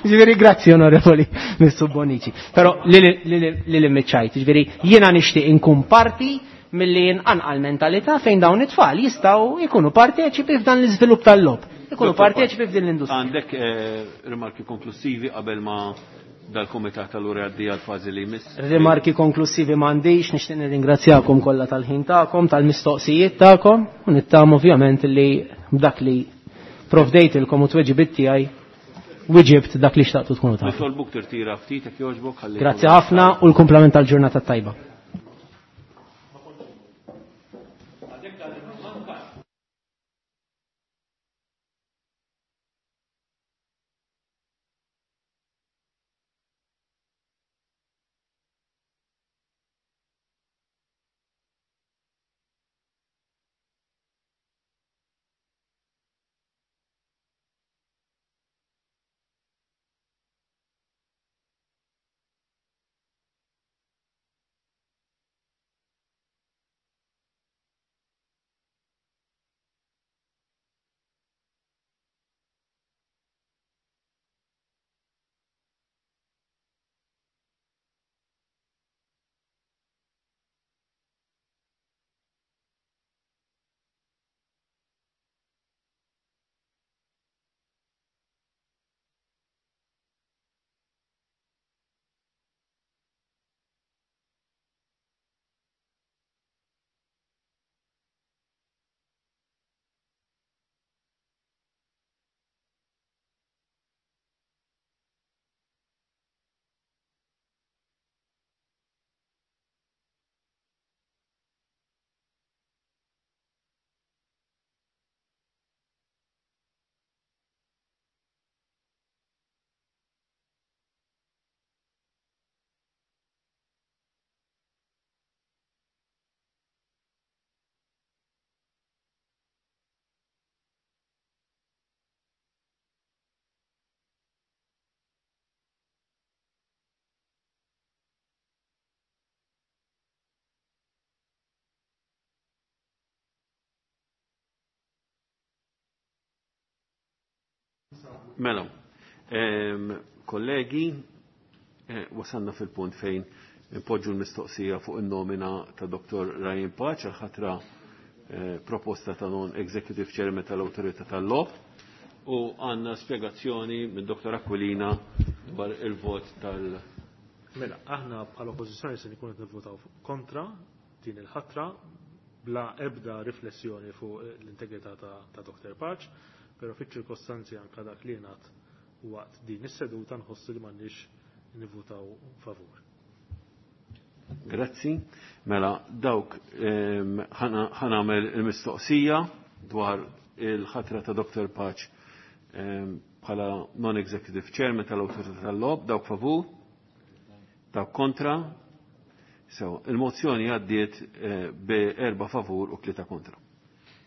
Ġifieri grazzi onorevoli Mister Bonnici. Però li li li miċċajt, ġifieri jiena nixtieq inkun parti milli nqanqal mentalità fejn dawn it-tfal jistgħu jkunu parteċipi f'dan l-iżvilupp tal-logħob. Ikunu parteċipi f'din l-industrija. Għandek rimarki konklusivi qabel ma dal-kumitat tal-ura għaddi għal-fażi li jmiss? Rimarki konklusivi m'għandix, nixtieq nirringrazzjakom kollha tal-ħin tagħkom, tal-mistoqsijiet tagħkom, u nittam ovvjament li b'dak li provdejtilkom u tweġibiet tiegħi wiġibt dak li xtaqtu tkunu tafu. Nitolbuk tirtira ftit jekk jogħġbok ħalli. Grazzi ħafna u l-kumplament tal-ġurnata tajba. Mela, kollegi, wasalna fil-punt fejn impoġġu l-mistoqsija fuq in-nomina ta' Doktor Ryan Pace għal ħatra proposta ta' non-executive chairman tal-Awtorità tal-Logħob u għandna spjegazzjoni minn Doktor Aquilina dwar il-vot tal- Mela, aħna bħala oppożizzjoni se nkunu qed nivvotaw kontra din il-ħatra bla ebda riflessjoni fuq l-integrità ta' Doktor Pace, però fiċ-ċirkostanzi anke dak li ngħad waqt din is-seduta nħossu li m'għandniex nivvutaw favur. Grazzi. Mela, dawk ħanamel il-mistoqsija dwar il-ħatra ta' Dottor Pace bħala non-executive chairman tal-Awtorità tal-Logħob, dawk favur, dawk kontra. So, il-mozzjoni għaddiet bi erba' favur u tlieta kontra.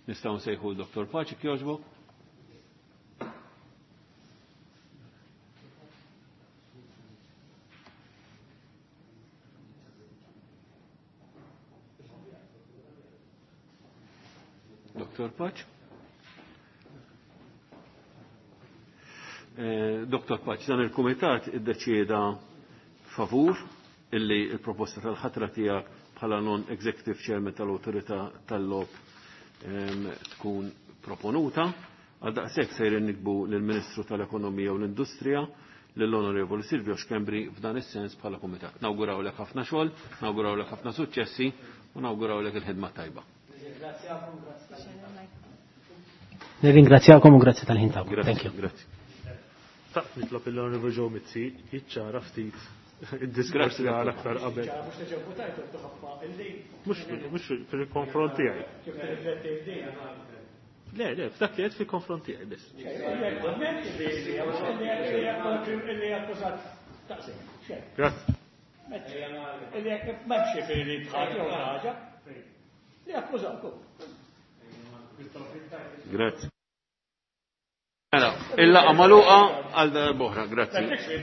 Nistgħu nsejħu l-Dottor Pace jogħġbok. Dottor Pace. Dottor Pace, dan il-Kumitat iddeċieda favur illi il-proposta tal-ħatra tiegħek bħala non-executive chairman tal-Awtorità tal-Logħob tkun proponuta. Għal daqshekk sejrin nikbu lill-Ministru tal-Ekonomija u l-Industrija, lill-Onorevoli Silvio Schembri f'dan is-sens bħala kumitat. Nawgurawlek ħafna xogħol, nawgurawlek ħafna suċċessi u nawgurawlek il-ħidma tajba. Nirringrazzjakom u grazzi tal-ħin tagħkom. Thank you. Grazzi. Ta' nitlob l-Onorevoli Joe Mizzi jiċċara ftit id-diskors li għal aktar qabel. Mhux mhux fil-konfront tiegħi. Le, le, f'dak li qed fil-konfront tiegħi biss. Grazzi. Grazzi. Mela, il-laqgħa magħluqa għal darb'oħra, grazzi.